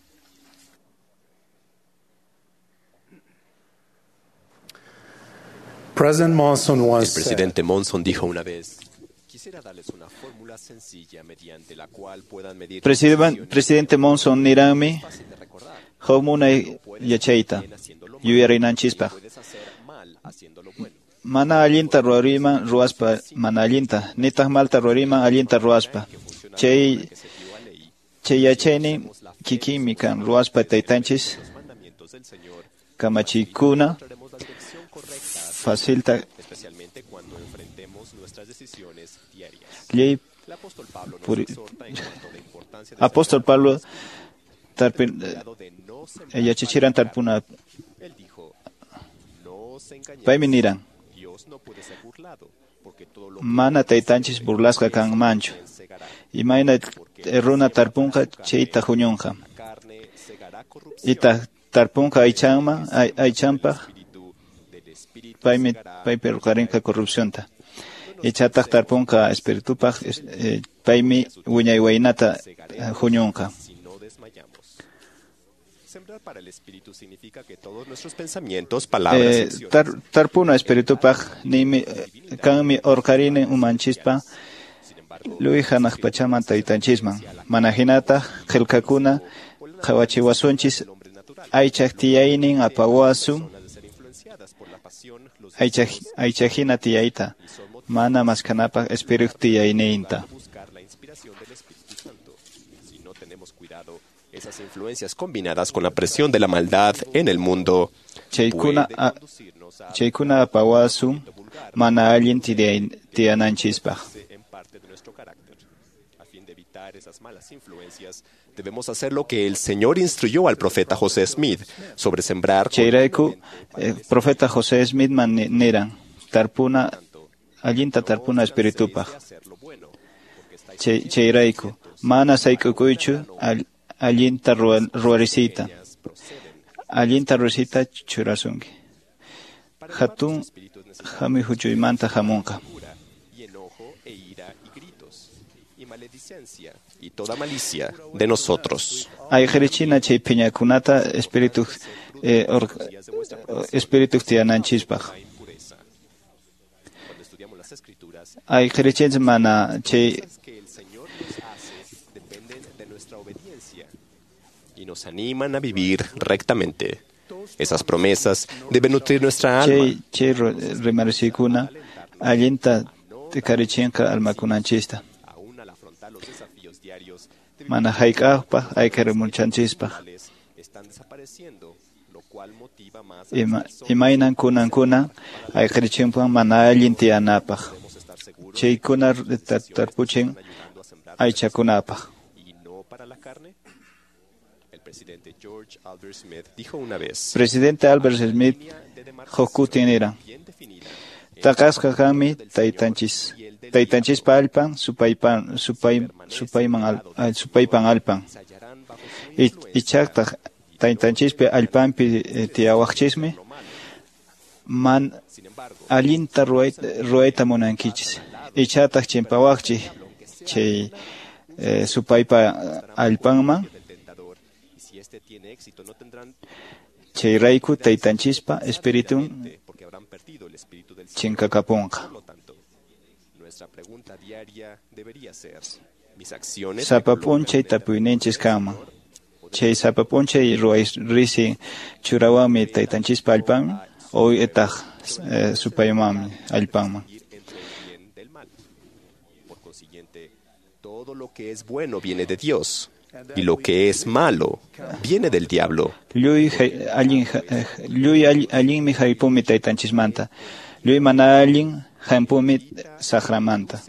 El presidente Monson dijo una vez: quisiera darles una fórmula sencilla mediante la cual puedan medir. Presidente Monson niranmi huk yachayta yuyarinanchispaq. Mana allinta ruwariman ruwaspa mana allinta, nitaq malta ruwariman allinta ruwaspa. Chay yachaynin kikinmi kan ruwaspa taytanchis kamachiykuna facilta ley. Apóstol Pablo yachachiran tarpuna paymi niran mana taytanchis burlasqa kanmanchu, imayna runa tarpunqa chayta huñunqa, itaq tarpunqa aychanman aychanpaq paymi paypi ruqarinqa corrupcionta, ichataq tarpunqa espiritupaq paymi wiñay waynata huñunqa. Tarpuna espiritupaq nimi kanmi urqarinin umanchispa Luy hanaq pachaman taytanchisman. Mana hinataq qillqakuna qhawachiwasunchis aychaq tiyaynin apawasun aychahina tiyayta mana maskanapaq espíritu tiyayninta. Esas influencias combinadas con la presión de la maldad en el mundo chaykuna apawasun mana allin tiyananchispaq. A fin de evitar esas malas influencias, debemos hacer lo que el Señor instruyó al profeta José Smith sobre sembrar. Chayrayku profeta José Smith man niran tarpuna allinta tarpuna espiritupaq. Chayrayku mana sayk'ukuychu allinta ruwarisiyta. Allinta ruwarisiyta churasunki. Hatun hamuy huchuymanta hamunqa. Y toda malicia de nosotros. Ayqirichina chay phiñakunata espíritu espíritu tiyananchispaq. Ayqirichinchis mana chay y nos animan a vivir rectamente. Esas promesas deben nutrir nuestra alma. Chay rimarisikuna allinta tikarichinqa almakunanchista. Mana hayk'aqpaq ayqirimuchanchispaq. Imaynan kunankuna ayqirichinpan mana allin tiyanapaq. Chaykuna tarpuchin aychakunapaq. Presidente Albert Smith huk niran taqasqa kanmi taytanchis taytanchispa allpan supaypan supaypan allpan ichaqtaq taytanchispa allpanpi tiyawaqchismi man allinta ruwayta munankichis ichataq chimpawaqchis chay supaypa allpanman chayrayku taytanchispa espiritun chinkakapunqa. Sapa p'unchay tapuyninchis kanman. Chay sapa p'unchay ruway risin churawanmi taytanchispa allpanman o itaq supaymanmi allpanman. Todo lo que es bueno viene de Dios y lo que es malo viene del diablo. Lluy allinmi haypumi taytanchismanta. Lluy mana allin hampumi saqramanta.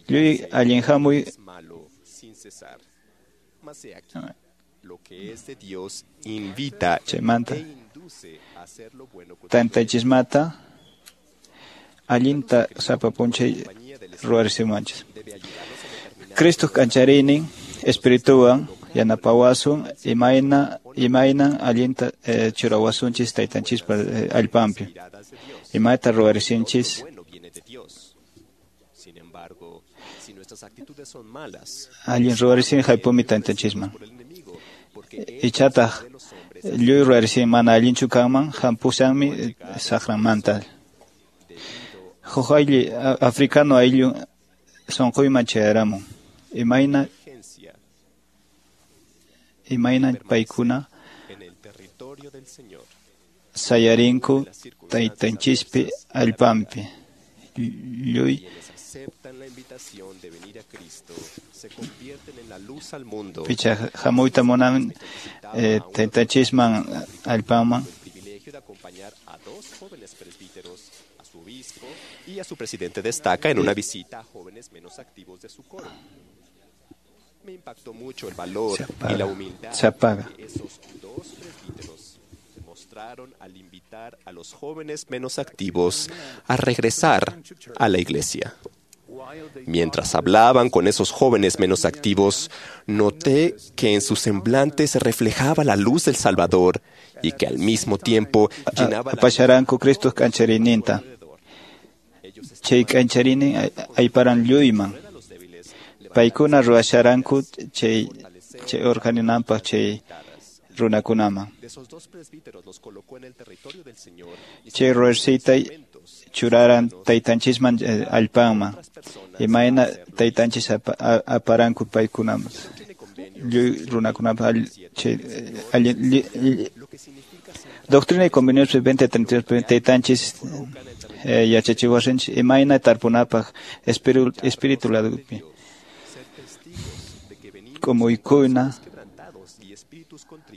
Lluy allin hamuy chaymanta taytanchismanta allinta sapa p'unchay ruwarisimanchis. Cristo k'anchariynin espirituwan yanapawasun imaynan allinta churawasunchis taytanchispa allpanpi. Imayta ruwarisinchis allin ruwarisin haypumi taytanchisman. Ichataq lluy ruwarisin mana allinchu kanman hampusanmi saqramanta. Huk ayllu africano ayllu sunquyman chayaramun. Imayna paykuna sayarinku taytanchispi allpanpi. Lluy picha hamuyta munan taytanchisman allpanman. Y a su presidente destaca en una visita a jóvenes menos activos de su coro. Me impactó mucho el valor y la humildad que esos dos presbíteros demostraron al invitar a los jóvenes menos activos a regresar a la iglesia. Mientras hablaban con esos jóvenes menos activos, noté que en su semblante se reflejaba la luz del Salvador y que al mismo tiempo llenaba la Apasharanku Cristo k'ancharininta. Chay k'ancharinin ayparan lluyman. Paykuna ruwasharanku chay urqaninanpaq chay runakunaman. Chay ruwarsiyta churaran taytanchisman allpanman, imayna taytanchis aparanku paykunaman. Lluy runakunapa Doctrina y Convenios 2032 taytanchis yachachiwasinchis imayna tarpunapaq espíritu ladupi. K'umuykuna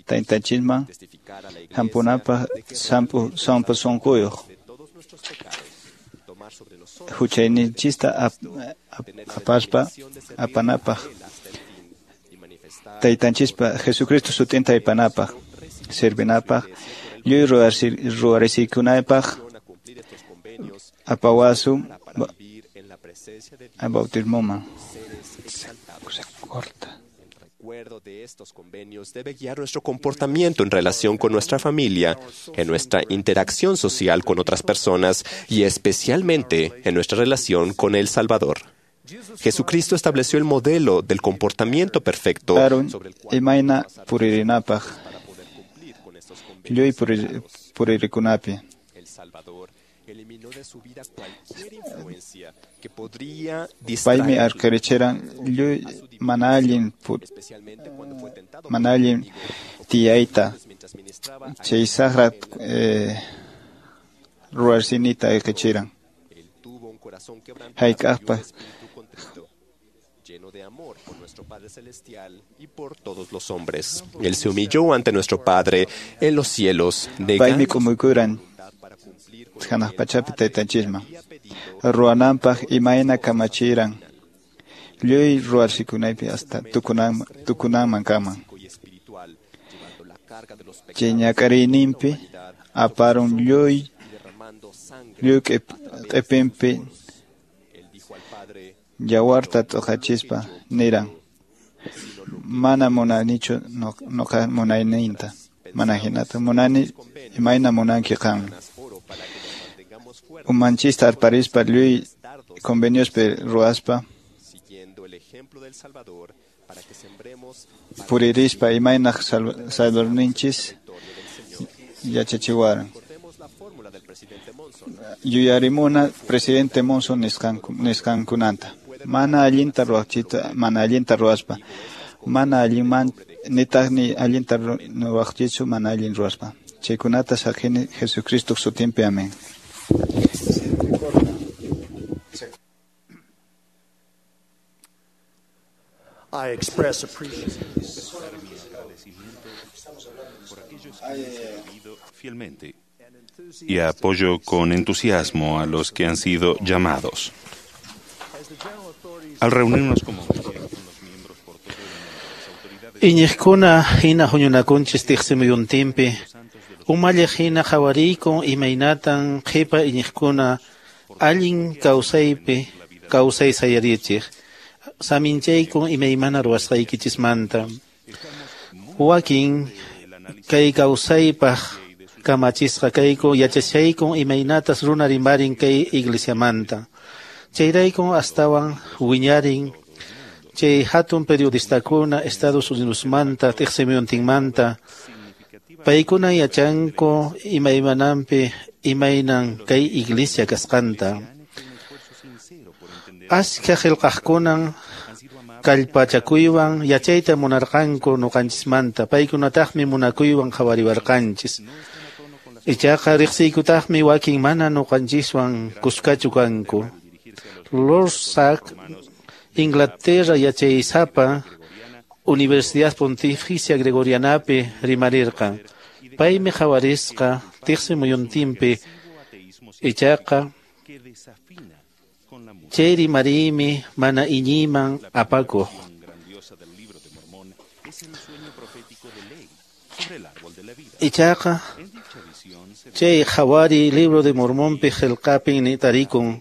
taytanchisman hampunapaq sampu sunquyuq huchayninchista apaspa apanapaq taytanchispa Jesucristo sutinta aypanapaq servinapaq lluy ruwarisikunapaq apawasun bautismoman. Se corta. Recuerdo de estos convenios debe guiar nuestro comportamiento en relación con nuestra familia, en nuestra interacción social con otras personas y especialmente en nuestra relación con el Salvador. Jesucristo estableció el modelo del comportamiento perfecto sobre el cual para poder cumplir con estos convenios. El Salvador eliminó de su vida cualquier influencia que podría Paymi arqirichiran lluy mana allin tiyayta chay saqra ruwarsinita ayqichiran. Hayk'aqpas lleno de amor por nuestro Padre Celestial y por todos los hombres. Él se humilló ante nuestro Padre en los cielos, Paymi k'umuykuran hanaq pachapi taytanchisman ruwananpaq imayna kamachiran lluy ruwarsikunaypi hasta tukunanman kaman. Chay ñak'ariyninpi aparun lluy q'ipinpi yawarta t'uqachispa niran: mana munanichu nuqa munayninta, mana hinata munani imayna munanki qanmi. Umanchista arparispa lluy conveniospi ruwaspa puririspa imayna Salvadorninchis yachachiwaran. Yuyarimuna presidente Monson nisqankunanta. Mana allinta ruwaqchita, mana allinta ruwaspa, mana allinman nitaq ni allinta ruwaqchichu mana allin ruwaspa. Chaykunata saqini Jesucristo sutinpi. Amén. I express appreciation fielmente y apoyo con entusiasmo a los que han sido llamados. Al reunirnos como Iñiqkuna hina huñunakunchis tiqsimuyuntinpi, umalliq hina qhawariyku imaynatan qhipa iñiqkuna allin kawsaypi kawsay sayarichiq, saminchayku imaymana ruwasqaykichismanta. Wakin kay kawsaypaq kamachisqa kayku yachashayku imaynatas runa rimarin kay iglesiamanta. Chayrayku astawan wiñarin chay hatun periodistakuna Estados Unidosmanta tiqsimuyuntinmanta paykuna yachanku imaymananpi imaynan kay iglesia kasqanta. Ashka qillqaqkunan kallpachakuywan yachayta munarqanku nuqanchismanta, paykunataqmi munakuywan qhawariwarqanchis. Ichaqa riqsiykutaqmi wakin mana nuqanchiswan kuskachu kanku. Lord Sack, Inglaterra yachaysapa Universidad Pontificia Gregorianapi rimarirqan. Paymi qhawarisqa tiqsimuyuntinpi ichaqa chay rimariymi mana iñiyman apakuq. Ichaqa chay qhawari Libro de Mormonpi qillqapin tarikun.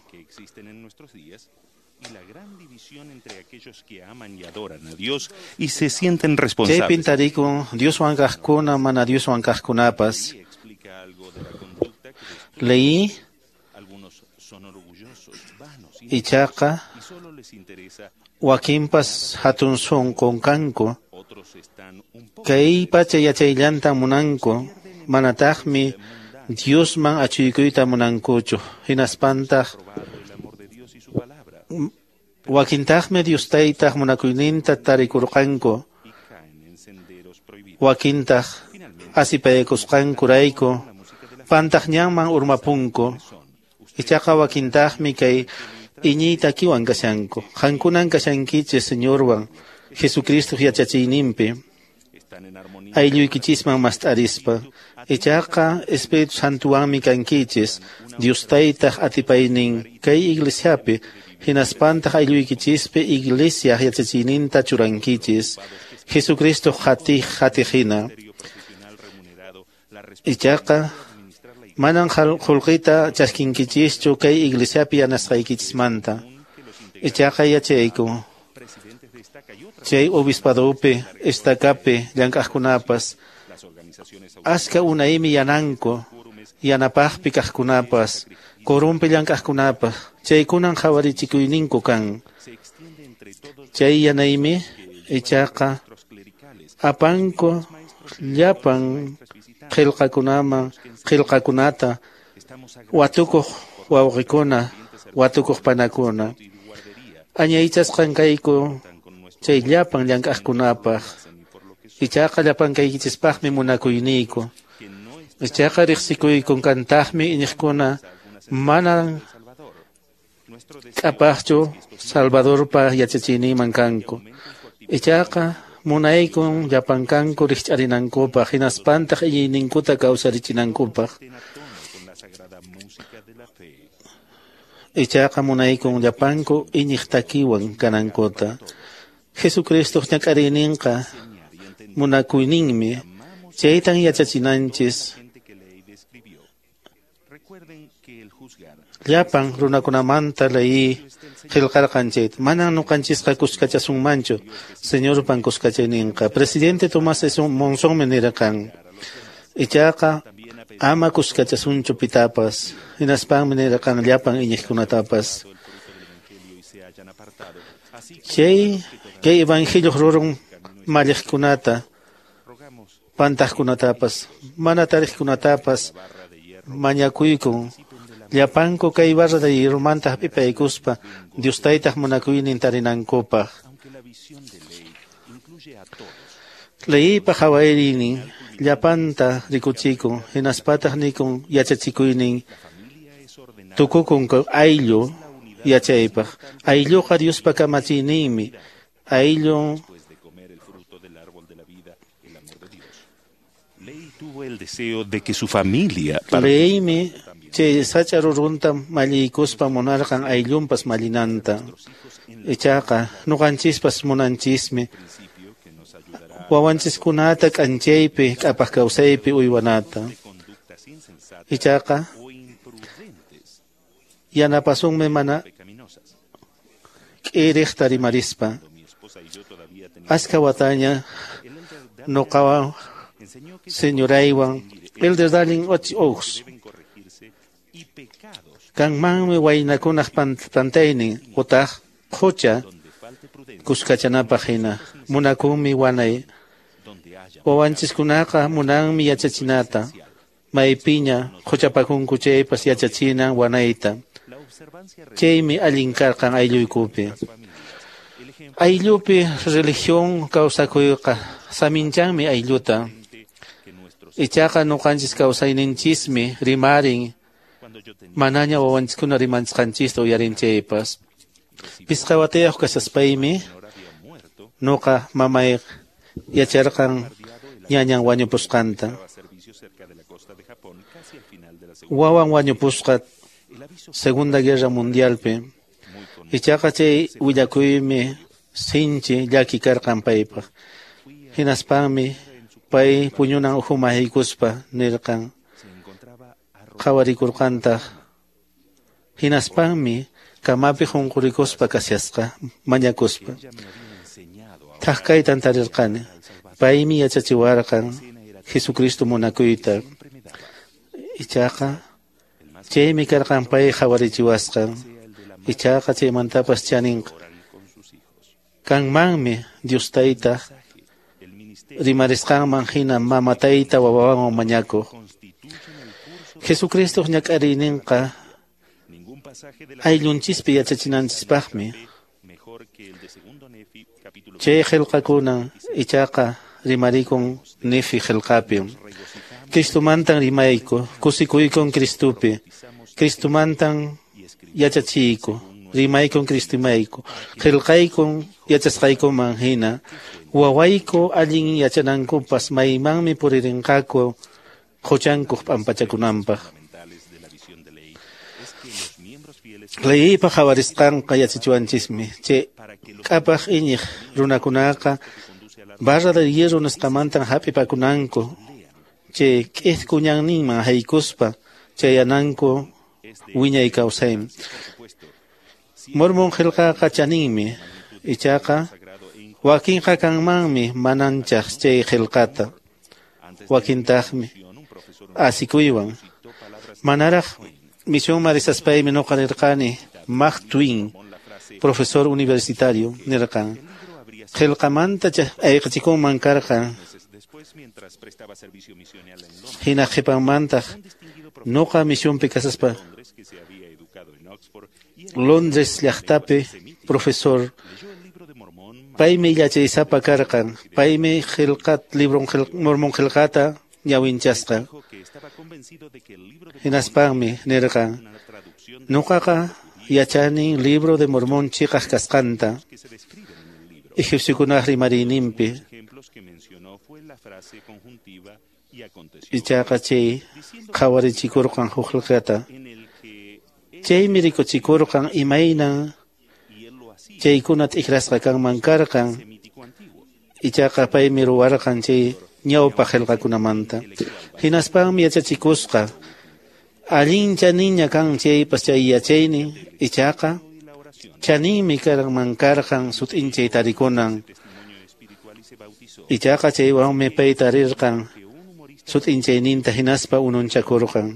Que aman y adoran a Dios y se sienten responsables. Chaypin tarikun Dioswan kaqkuna mana Dioswan kaqkunapas. Leí ichaqa wakinpas hatun sunqun kanku. Kay pacha yachayllantan munanku, manataqmi Diosman achuykuyta munankuchu. Hinaspantaq wakintaqmi Dios taytaq munakuyninta tarikurqanku, wakintaq asipaykusqankurayku pantaq ñanman urmapunku. Ichaqa wakintaqmi kay iñiy takiwan kashanku. Qankunan kashankichis Señorwan Jesucristo yachachiyninpi aylluykichisman mast'arispa. Ichaqa Espíritu Santuwanmi kankichis Dios taytaq atipaynin kay iglesiapi, hinaspantaq aylluykichispi iglesia yachachiyninta churankichis Jesucristo qatiq hina. Ichaqa manan qullqita chaskinkichischu kay iglesiapi yanasqaykichismanta. Ichaqa yachayku chay obispadopi, estacapi llank'aqkunapas aska unaymi yananku, yanapaqpi kaqkunapas, qurunpi llank'aqkunapas, chaykunan qhawarichikuyninku kan. Chay yanaymi ichaqa apanku llapan qillqakunata watukuq wawqikuna, watukuq panakuna. Añaychasqan kayku chay llapan llank'aqkunapaq. Ichaqa llapan kaykichispaqmi munakuyniyku. Ichaqa riqsikuykun kantaqmi iñiqkuna manan k'apaqchu Salvadorpa yachachiyninman kanku. Ichaqa munaykun llapan kanku rikch'arinankupaq, hinaspantaq iñiyninkuta kawsarichinankupaq. Ichaqa munaykun llapanku iñiq takiwan kanankuta. Jesucristoq ñak'ariyninqa munakuyninmi, chaytan yachachinanchis llapan runakunamanta leyi qillqarqan chayta. Manan ñuqanchisqa kuskachasunmanchu Señorpan kuskachayninqa. Presidente Tomás Monsonmi nirqan, ichaqa ama kuskachasunchu pitapas. Hinaspanmi nirqan llapan iñiqkunatapas. Chay kay evangelio rurun malliqkunata, pantaqkunatapas, mana tariqkunatapas mañakuykun llapanku kay barra de hierromanta hap'ipaykuspa Dios taytaq munakuynin tarinankupaq. Leypa qhawariynin llapanta rikuchikun, hinaspataq nikun yachachikuynin tukukun ayllu yachaypaq. Aylluqa Diospa kamachiyninmi. Ayllu tuvo el deseo de que su familia Leymi chay sacha rurunta malliykuspa munarqan ayllunpas mallinanta. Ichaqa ñuqanchispas munanchismi wawanchiskunata k'anchaypi k'apaq kawsaypi uywanata. Ichaqa yanapasunmi mana k'iriqta rimarispa. Aska wataña ñuqawan señoraywan Elder Darling Oaks kanmanmi waynakunaq pantaynin utaq qucha kuskachanapaq hina. Munakunmi wanay. Wawanchiskunaqa munanmi yachachinata. Maypiña quchapakunku chaypas yachachinan wanayta. Chaymi allin karqan aylluykupi. Ayllupi religión kawsakuyqa saminchanmi aylluta. Ichaqa ñuqanchis kawsayninchismi rimarin manaña wawanchiskuna rimanchisqanchista uyarin chaypas. Pisqa watayuq kashaspaymi ñuqa mamay yacharqan ñañan wañupusqanta. Wawan wañupusqa Segunda Guerra Mundialpi. Ichaqa chay willakuymi sinchi llaki karqan paypaq. Hinaspanmi pay puñunan ukhuman haykuspa nirqan qhawarikurqantaq. Hinaspanmi kamapi qunqurikuspa kashasqa mañakuspa. Thak kaytan tarirqani. Paymi yachachiwarqan Jesucristo munakuyta. Ichaqa chaymi karqan pay qhawarichiwasqan. Ichaqa chaymantapas chaninqa kanmanmi Dios taytaq Rimarisqanman hina mama tayta wawawan mañakuq. Jesucristo ñak'ariyninqa ayllunchispi yachachinanchispaqmi. Chay qillqakuna ichaqa rimarikun Nefi qillqapi. Cristomantan rimayku, kusikuykun Cristopi. Cristomantan yachachiyku, rimaykun Cristomayku. Qillqaykun yachasqaykuman hina. Wawayku allin yachanankupas maymanmi puririnqaku quchankuq p'ampachakunanpaq. Leypa qhawarisqanqa yachachiwanchismi. Chay k'apaq iñiq runakunaqa barra de hierro nisqamantan hap'ipakunanku. Chay k'itku ñanninman haykuspa chayananku wiñay kawsayman. Mormon qillqaqa chaninmi, ichaqa wakinqa kanmanmi mananchaq chay qillqata, wakintaqmi asikuywan. Manaraq misionman risaspaymi nuqa nirqani Mark Twain, profesor universitario, nirqan qillqamanta ayqichikunman karqan. Hina qhipanmantaq nuqa misionpi kasaspa Londres llaqtapi profesor paymi yachaysapa karqan, paymi qillqat libron Mormon qillqata ñawinchasqa. Hinaspanmi nirqan nuqaqa yachani libro de Mormón chiqaq kasqanta egipciokunaq rimariyninpi. Ichaqa chay qhawarichikurqan huk qillqata. Chaymi rikuchikurqan imaynan chaykuna t'ikrasqa kanman karqan. Ichaqa paymi ruwarqan chay ñawpaq qillqakunamanta. Hinaspanmi yachachikusqa allin chaninña kan chaypas chay yachaynin, ichaqa chaninmi kanman karqan sut'inchay tarikunan. Ichaqa chaywanmi pay tarirqan sut'inchayninta hinaspa ununchakurqan.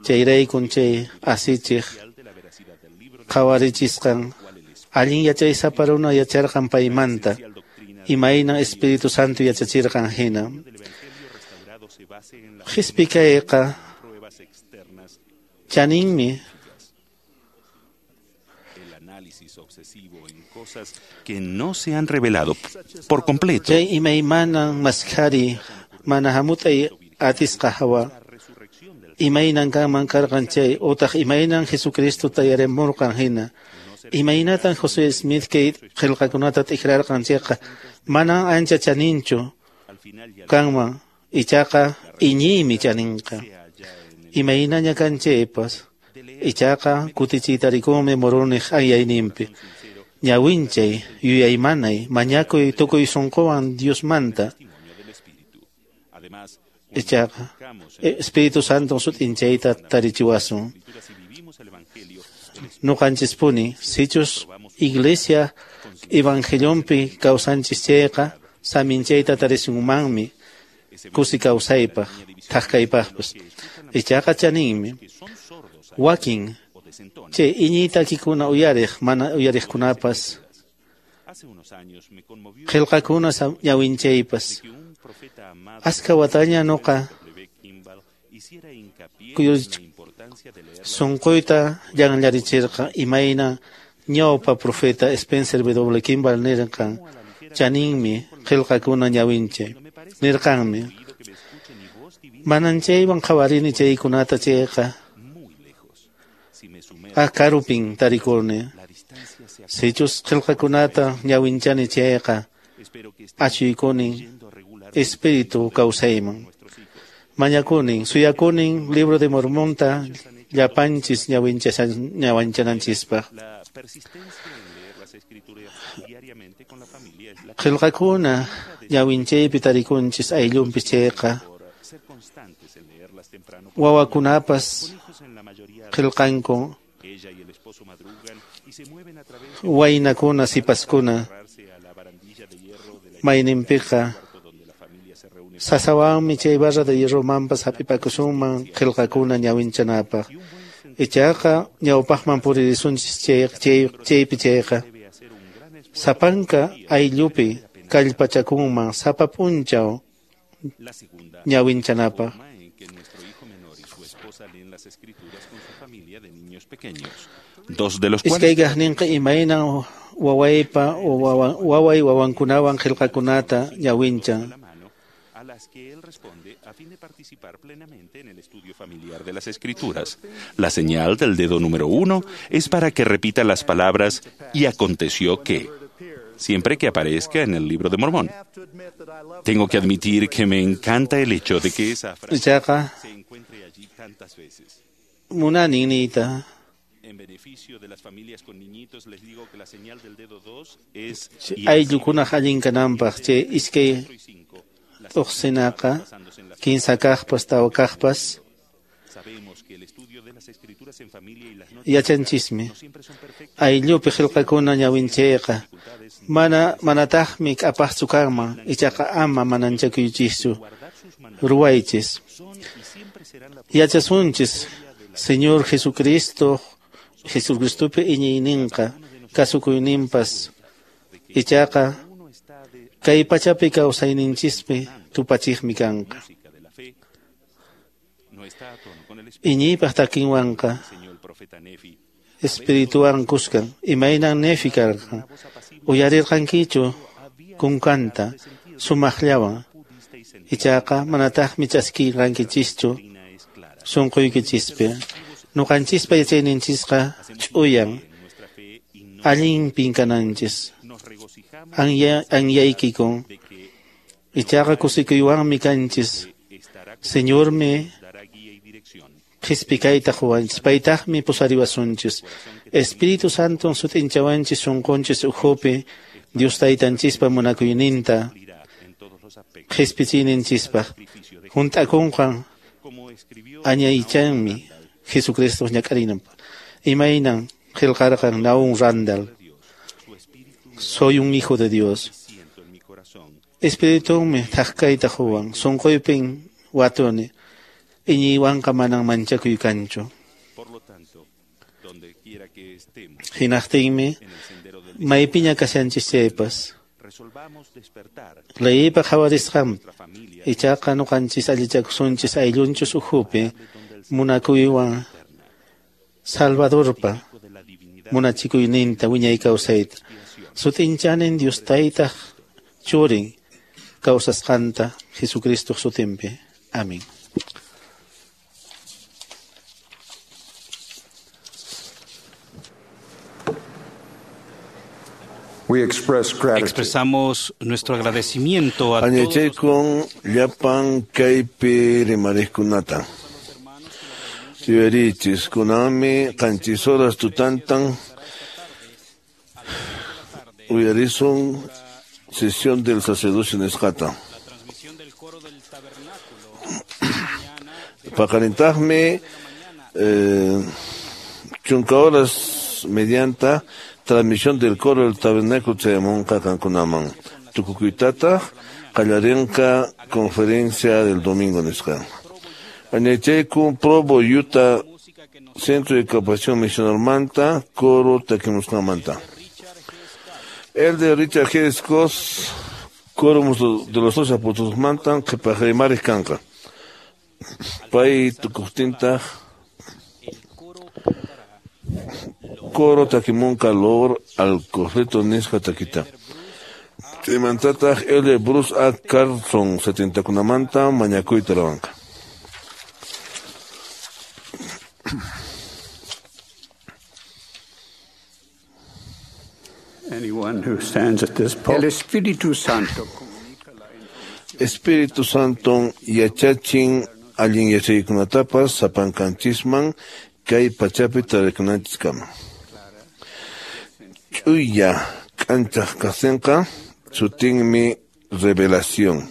Chayraykun chay asichiq qhawarichisqan allin yachaysapa runa yacharqan paymanta, imaynan Espíritu Santo yachachirqan hina. Qhispi kayqa chaninmi. Que no se han revelado por completo. Chay imaymanan maskhari mana hamut'ay atisqa hawa. Imaynan kanman karqan chay utaq imaynan Jesucristo tayarimurqan hina. Imaynatan José Smith kay qillqakunata t'ikrarqan chayqa manan ancha chaninchu kanman, ichaqa iñiymi chaninqa. Imaynaña kan chaypas ichaqa kutichiytarikunmi Moroniq anyayninpi. Ñawinchay, yuyaymanay, mañakuy tukuy sunquwan Diosmanta. Ichaqa Espíritu Santo sut'inchayta tarichiwasun. Nuqanchispuni sichus iglesia evangelionpi kawsanchis chayqa saminchayta tarisunmanmi kusi kawsaypaq thaqkaypaqpas. Ichaqa chaninmi wakin chay iñiytakikuna uyariq mana uyariqkunapas qillqakuna ñawinchaypas. Aska wataña nuqa sunquyta llanllarichirqa imayna ñawpa profeta Spencer W. Kimball nirqan chaninmi qillqakuna ñawinchay nirqanmi. Manan chaywan qhawarini chaykunata chayqa karupin tarikuni. Sichus qillqakunata ñawinchani chayqa achuykuni espíritu kawsayman. Mañakunin, suyakunin libro de Mormonta llapanchis ñawinchananchispaq. Qillqakuna ñawinchaypi tarikunchis ayllunpis chayqa wawakunapas qillqanku waynakuna sipaskuna mayninpiqa sasawanmi chay barra de hierromanpas hap'ipakusunman qillqakuna ñawinchanapaq. Ichaqa ñawpaqman puririsunchis chaypi chayqa sapanka ayllupi kallpachakunman sapa p'unchaw ñawinchanapaq. Iskay kaqninqa imaynan wawaypa waway wawankunawan qillqakunata ñawinchan. A las que él responde a fin de participar plenamente en el estudio familiar de las Escrituras. La señal del dedo número 1 es para que repita las palabras y aconteció que, siempre que aparezca en el libro de Mormón. Tengo que admitir que me encanta el hecho de que esa frase se encuentre allí tantas veces. Munani niyta. En beneficio de las familias con niñitos, les digo que la señal del dedo 2 es... Ayllukunaq allin kananpaq chay iskay t'uqsinaqa kinsa kaqpas tawa kaqpas yachanchismi. Ayllupi qillqakuna ñawinchayqa manataqmi k'apaqchu kanman, ichaqa ama mananchakuychischu, ruwaychis. Yachasunchis Señor Jesucristo, Jesucristopi iñiyninqa kasukuyninpas, ichaqa kay pachapi kawsayninchispi tupachiqmi kanqa. Iñiypaq takinwanqa espirituwan kuskan, imaynan Nefi karqan, uyarirqankichu kunkanta sumaqllawan, ichaqa manataqmi chaskirqankichischu sunquykichispi. Nuqanchispa yachayninchisqa ch'uyan, allinpin kananchis, anyaykikun, ichaqa kusikuywanmi kanchis. Señormi qhispikayta quwanchis, paytaqmi pusariwasunchis. Espíritu Santon sut'inchawanchis sunqunchis ukhupi Dios taytanchispa munakuyninta qhispichiyninchispaq. Hunt'akunqan añaychanmi Jesucristo ñak'arinanpaq. Imaynan qillqarqan Naum Randall: soy un hijo de Dios. Espiritunmi thaqkayta quwan, sunquypin watuni, iñiywanqa manan manchakuy kanchu. Hinaqtinmi maypiña kashanchis chaypas leypa qhawarisqanpi, ichaqa nuqanchis allichakusunchis ayllunchis ukhupi munakuywan Salvadorpa munachikuyninta wiñay kawsayta. Sut'inchanin Dios taytaq churin kawsasqanta Jesucristo sutinpi. Amén. Expresamos nuestro agradecimiento a todos. Añachaykun llapan kaypi rimariqkunata. Yuyarichis kunanmi qanchis horas tutantan uyarisun sesión del sacerdocio nisqata. Paqarintaqmi chunka horas medianta transmisión del coro del tabernáculo chayamunqa qankunaman. Tukukuytataq qallarinqa conferencia del domingo nisqa. Añachaykun Provo, Utah, Centro de Capacitación Misionalmanta, coro takimusqanmanta. El de Richard G. Scott, coro de los dos apóstoles mantan, qhipaq rimaris kanqa. Pay tukuqtintaq coro takimunqa lor al cofreto nisqa takita. Chaymantataq el de Bruce A. Carlson 70kunamanta mañakuyta ruwanqa. El Espíritu Santo Espíritu Santo yachachin allin yachaykunatapas sapankanchisman kay pachapi tarikunanchiskama. Ch'uya k'anchaq kaqtinqa sutinmi revelación.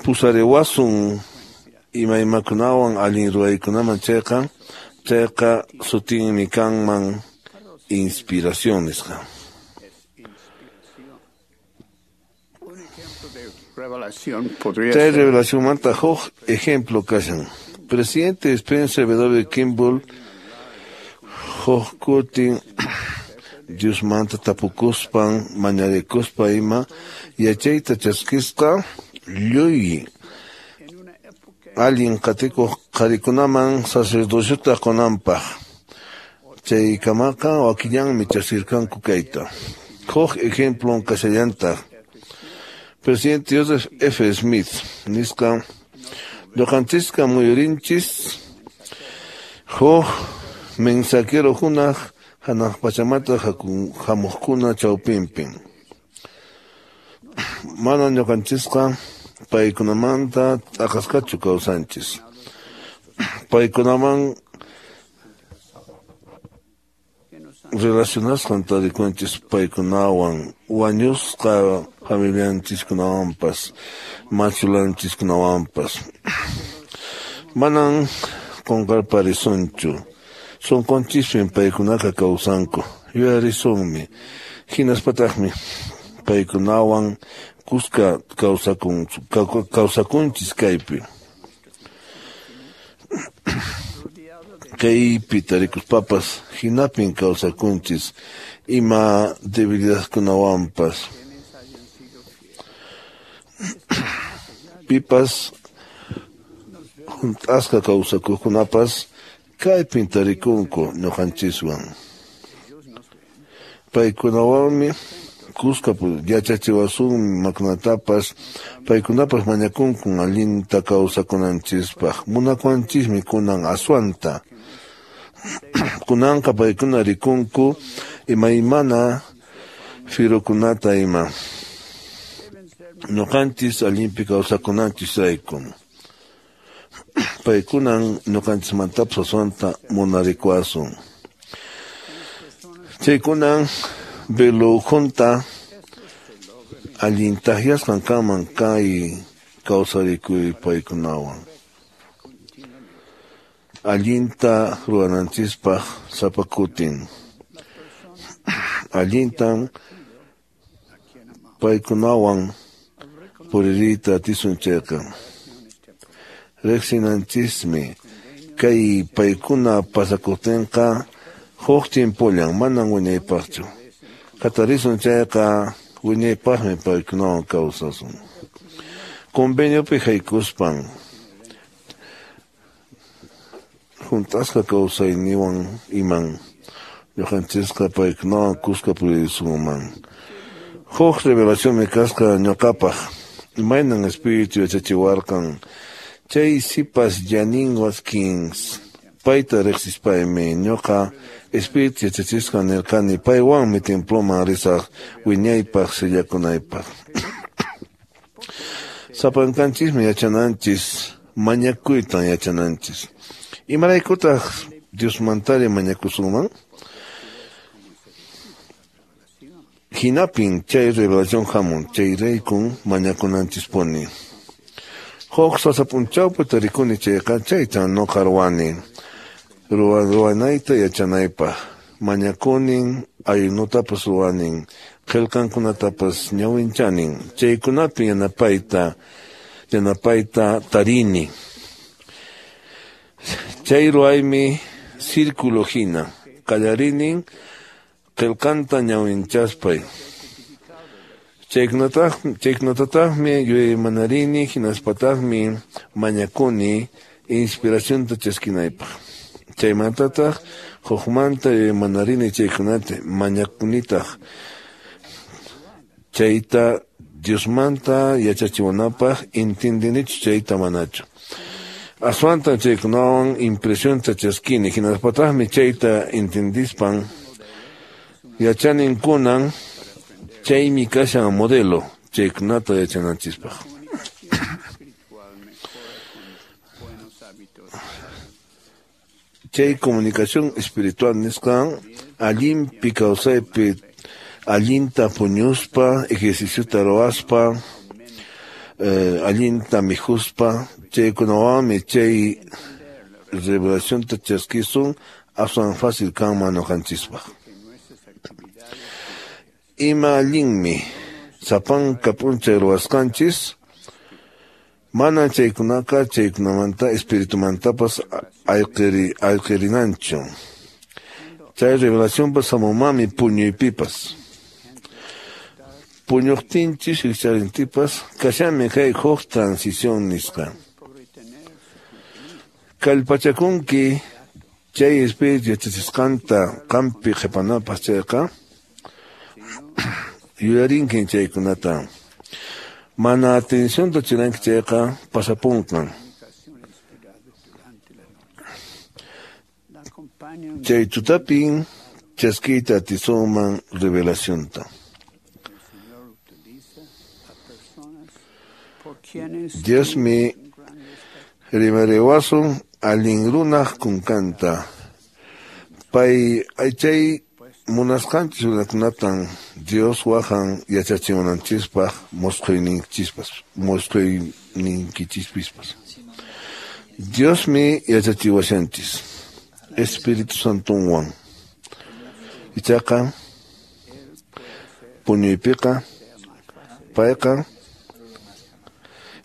Pusariwasun imaymakunawan allin ruwaykunaman chayqa, chayqa sutinmi kanman inspiración nisqa. Chay revelacionmanta huk ejemplo kashan. Presidente Spencer W. Kimball huk kutin Diosmanta tapukuspan mañarikuspa ima yachayta chaskisqa lluy allin qatikuq qharikunaman sacerdociota qunanpaq. Chaykamaqa wakillanmi chaskirqanku kayta. Huk ejemplon kashallantaq. Presidente Joseph F. Smith nisqa ñuqanchisqa muyurinchis huk mensajero hunaq hanaq pachamanta hamuqkuna chawpinpi. Mana ñuqanchisqa paykunamanta t'aqasqachu kawsanchis. Paykunaman relacionasqan tarikunchis paykunawan wañusqa familianchiskunawanpas machulanchiskunawanpas. Manan qunqarparisunchu. Sunqunchispin paykunaqa kawsanku. Yuyarisunmi. Hinaspataqmi paykunawan kuska kawsakunchis kaypi. Kaypi tarikuspapas hinapin kawsakunchis ima debilidadkunawanpas. Pipas hunt'asqa kawsakuqkunapas kaypin tarikunku ñuqanchiswan. Paykunawanmi kuska yachachiwasunmi makunatapas, paykunapas mañakunkun allinta kawsakunanchispaq. Munakuwanchismi kunan aswanta. Kunanqa paykuna rikunku imaymana firukunata ima. Ñuqanchis allinpi kawsakunanchisrayku. Paykunan ñuqanchismantapas aswanta munarikuwasun. Chaykunan velo ukhunta allin takyasqan kanman kay kawsarikuy paykunawan. Allinta ruwananchispaq sapa kutin. Allintan paykunawan puririyta atisun chayqa. Riqsinanchismi kay paykuna pasakuqtinqa huk tiempollan manan wiñaypaqchu. Hatarisun chayqa wiñaypaqmi paykunawan kawsasun. Conveniopi haykuspan hunt'asqa kawsayniwan iman ñuqanchisqa paykunawan kuska puririsunman. Huk revelacionmi kasqa ñuqapaq imaynan espíritu yachachiwarqan chay sipas Janine Watkins payta riqsispaymi ñuqa espíritu yachachisqa nirqani paywanmi temploman risaq wiñaypaq sillakunaypaq. Sapankanchismi yachananchis mañakuytan yachananchis. Imaraykutaq Diosmantari mañakusunman? Hinapin chay revelación hamun chayraykun mañakunanchispuni. Huk sasa p'unchawpi tarikuni chayqa chaytan nuqa ruwani. Ruwanayta yachanaypaq. Mañakunin, ayunutapas ruwanin, qillqankunatapas ñawinchanin. Chaykunapi yanapayta tarini. Chay ruwaymi círculo hina. Qallarinin qillqanta ñawinchaspay. Chaykunatataqmi yuyaymanarini hinaspataqmi mañakuni inspiracionta chaskinaypaq. Chaymantataq hukmanta yuyaymanarini chaykunata mañakunitaq. Chayta Diosmanta yachachiwanapaq intindinichu chayta manachu. Aswanta chaykunawan impresionta chaskini hinaspataqmi chayta intindispan yachanin kunan chaymi kashan modelo chaykunata yachananchispaq. Chay comunicación espiritual nisqan allinpi kawsaypi allinta puñuspa, ejerciciota ruwaspa, allinta mikhuspa, chaykunawanmi chay revelacionta chaskisun aswan fácil kanman ñuqanchispaq. Ima allinmi sapanka p'unchay ruwasqanchis mana chaykunaqa chaykunamanta espiritumantapas ayqirinanchu. Chay revelacionpas hamunmanmi puñuypipas. Puñuqtinchis rikcharintipas kashanmi kay huk transición nisqa. Kallpachakunki chay espíritu yachachisqanta qampi qhipanapaq chayqa yuyarinkin chaykunata. Mana atencionta churanki chayqa pasapunqan. Chay tutapin chaskiyta atisunman revelacionta. Diosmi rimariwasun allin runaq kunkanta. Pay chay munasqanchis runakunatan Dios wahan yachachimunanchispaq musqhuyninchikpispas. Diosmi yachachiwashanchis Espíritu Santonwan. Ichaqa puñuypiqa payqa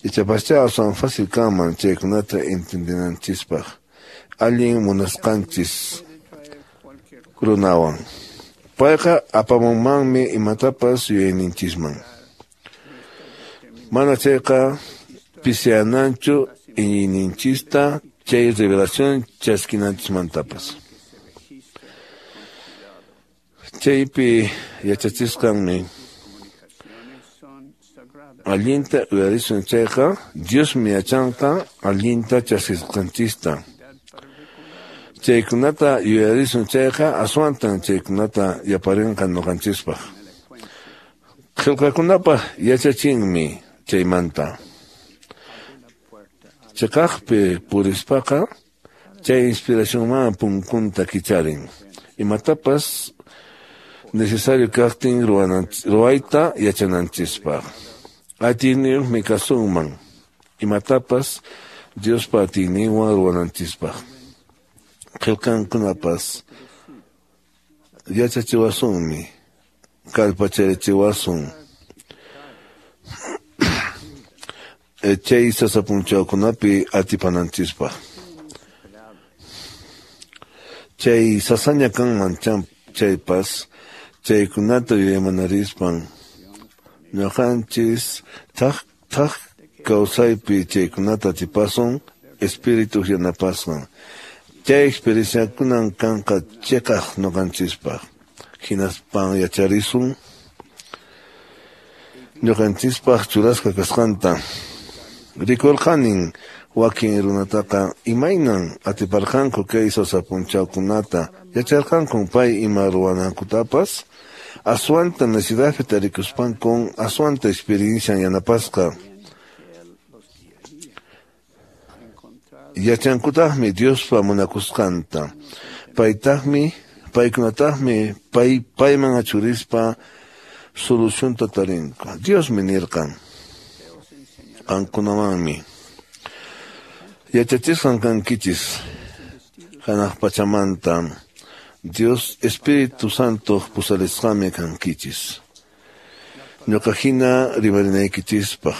ichapascha aswan fácil kanman chaykunata entendinanchispaq allin munasqanchis runawan. Payqa apamunmanmi imatapas yuyayninchisman. Mana chayqa pisiyananchu iñiyninchista chay revelación chaskinanchismantapas. Chaypi yachachisqanmi allinta uyarisun chayqa Diosmi yachanqa allinta chaskisqanchista. Chaykunata yuyarisun chayqa aswantan chaykunata yaparinqa ñuqanchispaq. Qillqakunapaq yachachinmi chaymanta. Chiqaqpi purispaqa chay inspiracionman punkunta kicharin. Imatapas necesario kaqtin ruwayta yachananchispaq. Atiyniyuqmi kasunman imatapas Diospa atiyninwan ruwananchispaq. Qillqankunapas yachachiwasunmi, kallpacharichiwasun. Chay sasa punchawkunapi atipananchispaq. Chay sasaña kanman chaypas chaykunata yuyaymanarispan ñuqanchis thak thak kawsaypi chaykunata atipasun espíritu yanapasqan. Chay experienciakunan kanqa chiqaq ñuqanchispaq. Hinaspan yacharisun ñuqanchispaq churasqa kasqanta. Rikurqanin wakin runataqa imaynan atiparqanku kay sasa punchawkunata yacharqankun pay ima ruwanankutapas aswanta necesidadpi tarikuspankun aswanta experiencian yanapasqa. Yachankutaqmi Diospa munakusqanta. Paykunataqmi payman achurispa solucionta tarinku. Diosmi nirqan qankunamanmi yachachisqan kankichis hanaq pachamanta Dios Espíritu Santo pusarisqanmi kankichis. Ñuqa hina rimarinaykichispaq.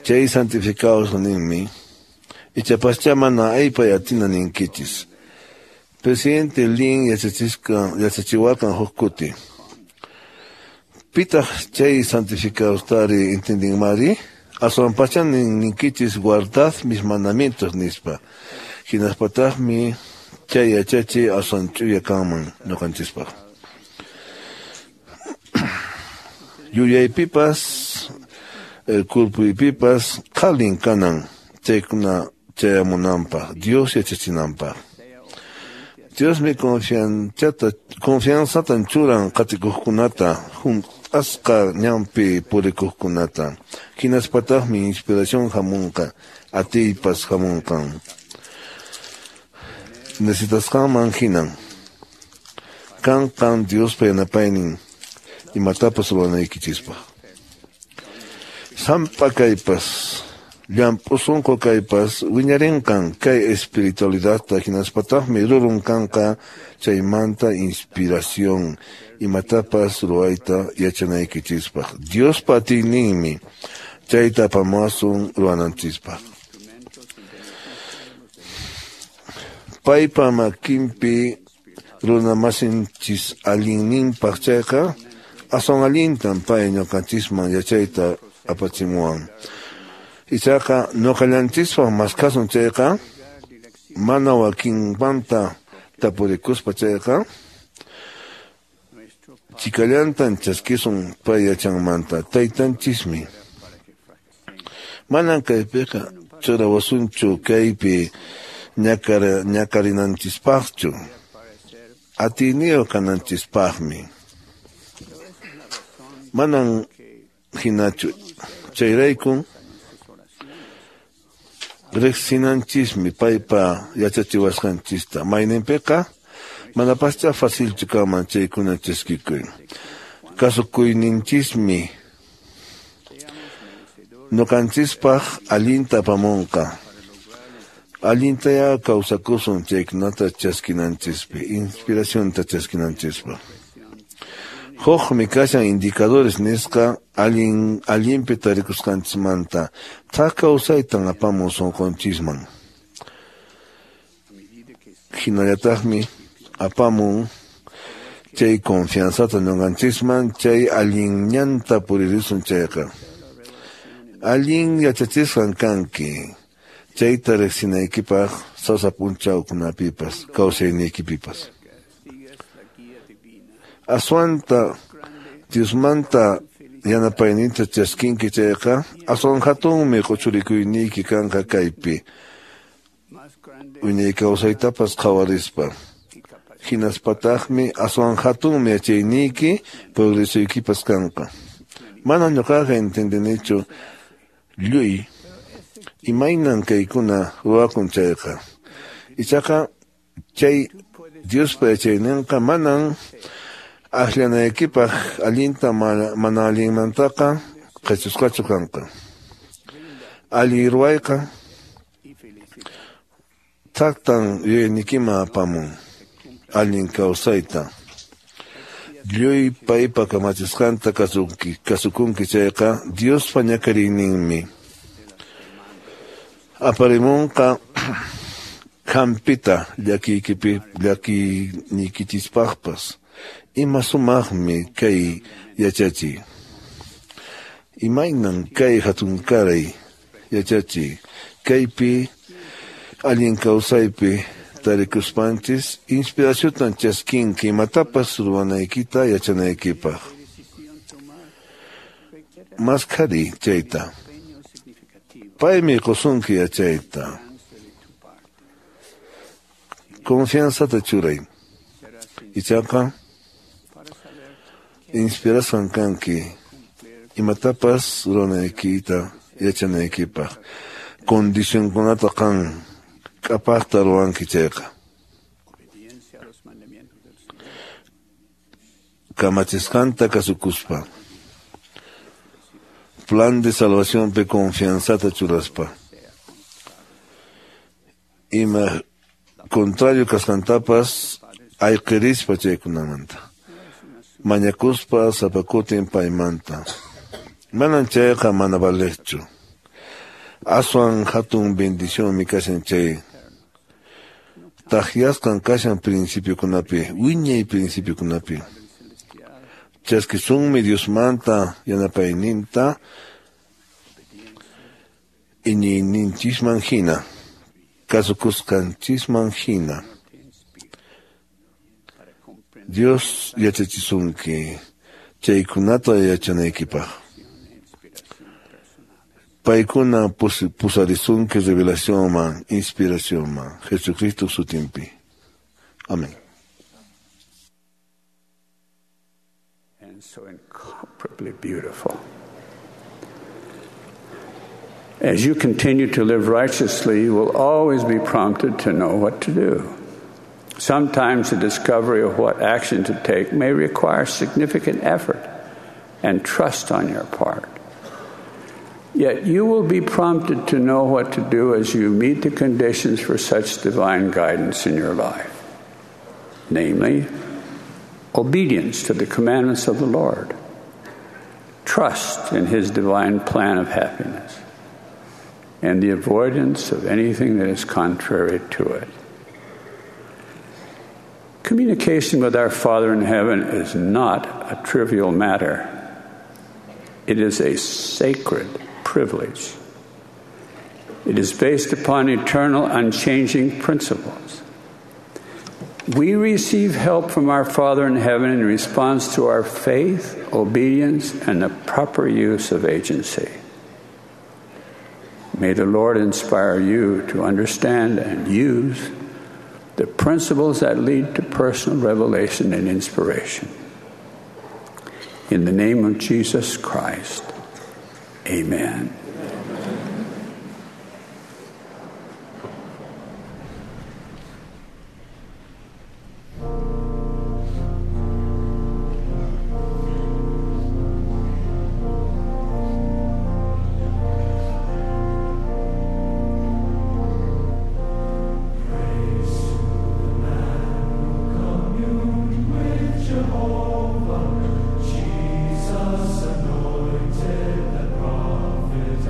Chay santificados ninmi ichapascha mana aypay atina ninkichis. Presidente Lin yachachiwarqan huk kuti. Pitaq chay santificadostari entendinmari? Aswanpacha ninkichis guardad mis mandamientos nispa. Hinaspataqmi chay yachachi aswan ch'uya kanman ñuqanchispaq. Yuyaypipas kurpuypipas qhalin kanan chaykuna chayamunanpaq Dios yachachinanpaq. Diosmi confianzatan churan qatikuqkunata hunt'asqa ñanpi purikuqkunata. Hinaspataqmi inspiración hamunqa atiypas hamunqan. Necesitasqanman hinan kanqan Diospa yanapaynin imatapas ruwanaykichispaq. Sampa kaypas llamp'u sunqu kaypas wiñarinqan kay espiritualidadta hinaspataqmi rurun kanqa chaymanta inspiración imatapas ruwayta yachanaykichispaq. Diospa atiyninmi chayta apamuwasun ruwananchispaq. Paypa makinpi runa masinchis allinninpaq chayqa aswan allintan pay ñuqanchisman yachayta apachimuwan. Ichaqa ñuqallanchispaq maskhasun chayqa mana wakinmanta tapurikuspa chayqa chikallantan chaskisun pay yachanmanta taytanchismi. Manan kaypiqa churawasunchu kaypi ñakarinanchispaqchu, atiyniyuq kananchispaqmi. Manan hinachu chayraykun riqsinanchismi paypa yachachiwasqanchista. Mayninpiqa manapascha facilchu kanman chaykuna chaskikuy. Kasukuyninchismi ñuqanchispaq allinta apamunqa. Allintaya kawsakusun chaykunata chaskinanchispi, inspiracionta chaskinanchispaq. Hukmi kashan indicadores nisqa allinpi tarikusqanchismanta thak kawsaytan apamun sunqunchisman. Hinallataqmi apamun chay confianzata ñuqanchisman chay allin ñanta puririsun chayqa. Allin yachachisqan kanki chayta riqsinaykipaq sasa p'unchawkunapipas kawsayniykipipas. Aswanta Diosmanta yanapayninta chaskinki chayqa aswan hatunmi q'uchurikuyniyki kanqa kaypi wiñay kawsaytapas qhawarispa. Hinaspataqmi aswan hatunmi yachayniyki progresuykipas kanqa. Mana ñuqaqa entendinichu lluy imaynan kaykuna ruwakun chayqa. Ichaqa chay Diospa yachayninqa manan akllanaykipaq allinta mana allinmantaqa qhachusqachu kanqa. Allin ruwayqa thaktan yuyaynikiman apamun allin kawsayta. Lluy paypa kamachisqanta kasukunki chayqa Diospa ñakariyninmi aparimunqa hampita llakiynikichispaqpas. Ima sumaqmi kay yachachiy. Imaynan kay hatunkaray yachachiy. Kaypi allin kawsaypi tarikuspanchis inspiraciontan chaskinki imatapas ruwanaykita yachanaykipaq. Maskhari chayta. Paymi qusunki yachayta. Confianzata churay. Ichaqa inspirasqan kanki imatapas ruwanaykita yachanaykipaq. Condicionkunata qan k'apaqta ruwanki chayqa. Kamachisqanta kasukuspa. Plan de salvacionpi confianzata churaspa. Ima contrario kasqantapas ayqirispa chaykunamanta. Mañakuspa sapakutin paymanta. Manan chayqa mana valeqchu. Aswan hatun bendicionmi kashan chay. Takyasqan kashan principiokunapi, wiñay principiokunapi. Chaskisunmi Diosmanta yanapayninta iñiyninchisman hina, kasukusqanchisman hina. Dios yachachisunki chaykunata yachanaykipaq. Paykuna pusarisunki revelacionman, inspiracionman, Jesucristo sutinpi. Amén. And so incomparably beautiful. As you continue to live righteously, you will always be prompted to know what to do. Sometimes the discovery of what action to take may require significant effort and trust on your part. Yet you will be prompted to know what to do as you meet the conditions for such divine guidance in your life, namely, obedience to the commandments of the Lord, trust in His divine plan of happiness, and the avoidance of anything that is contrary to it. Communication with our Father in heaven is not a trivial matter. It is a sacred privilege. It is based upon eternal, unchanging principles. We receive help from our Father in heaven in response to our faith, obedience, and the proper use of agency. May the Lord inspire you to understand and use the principles that lead to personal revelation and inspiration. In the name of Jesus Christ, amen. Jesus anointed the prophets.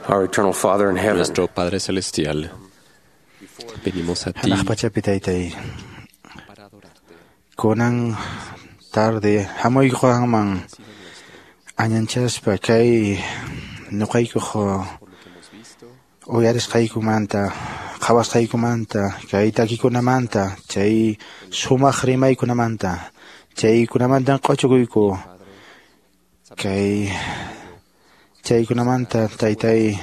Nuestro Padre Celestial, venimos a ti Hanaq pachapi taytay, kunan tarde hamuyku qanman añanchaspa kay ñuqaykuq uyarisqaykumanta, qhawasqaykumanta, kay takikunamanta, chay sumaq rimaykunamanta, chaykunamantan q'uchukuyku kay chaykunamanta taytay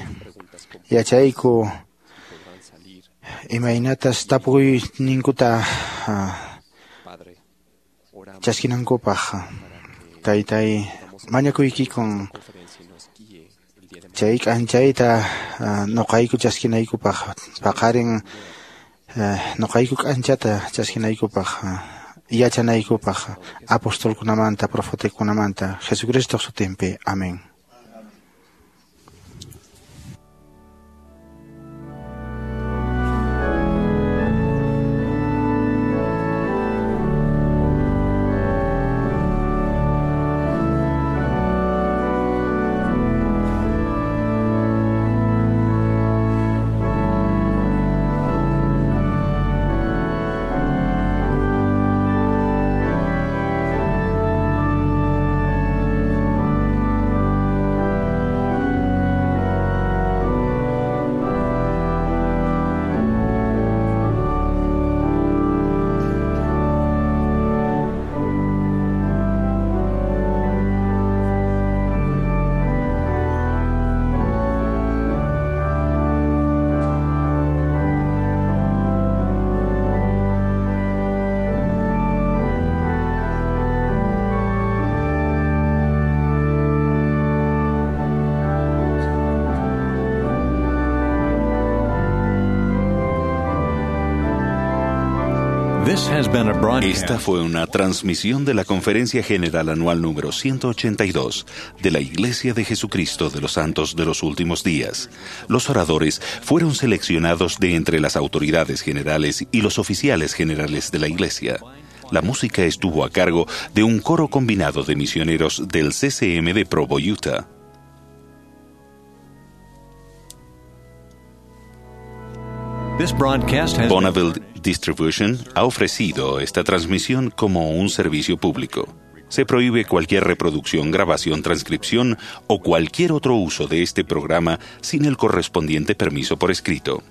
yachayku imaynatas tapukuyninkuta chaskinankupaq. Taytay, mañakuykikun chay k'anchayta ñuqayku chaskinaykupaq, paqarin ñuqayku k'anchata chaskinaykupaq, yachanaykupaq apostolkunamanta, profetakunamanta, Jesucristo sutinpi. Amén. Esta fue una transmisión de la Conferencia General Anual número 182 de la Iglesia de Jesucristo de los Santos de los Últimos Días. Los oradores fueron seleccionados de entre las autoridades generales y los oficiales generales de la Iglesia. La música estuvo a cargo de un coro combinado de misioneros del CCM de Provo, Utah. Bonneville Distribution ha ofrecido esta transmisión como un servicio público. Se prohíbe cualquier reproducción, grabación, transcripción o cualquier otro uso de este programa sin el correspondiente permiso por escrito.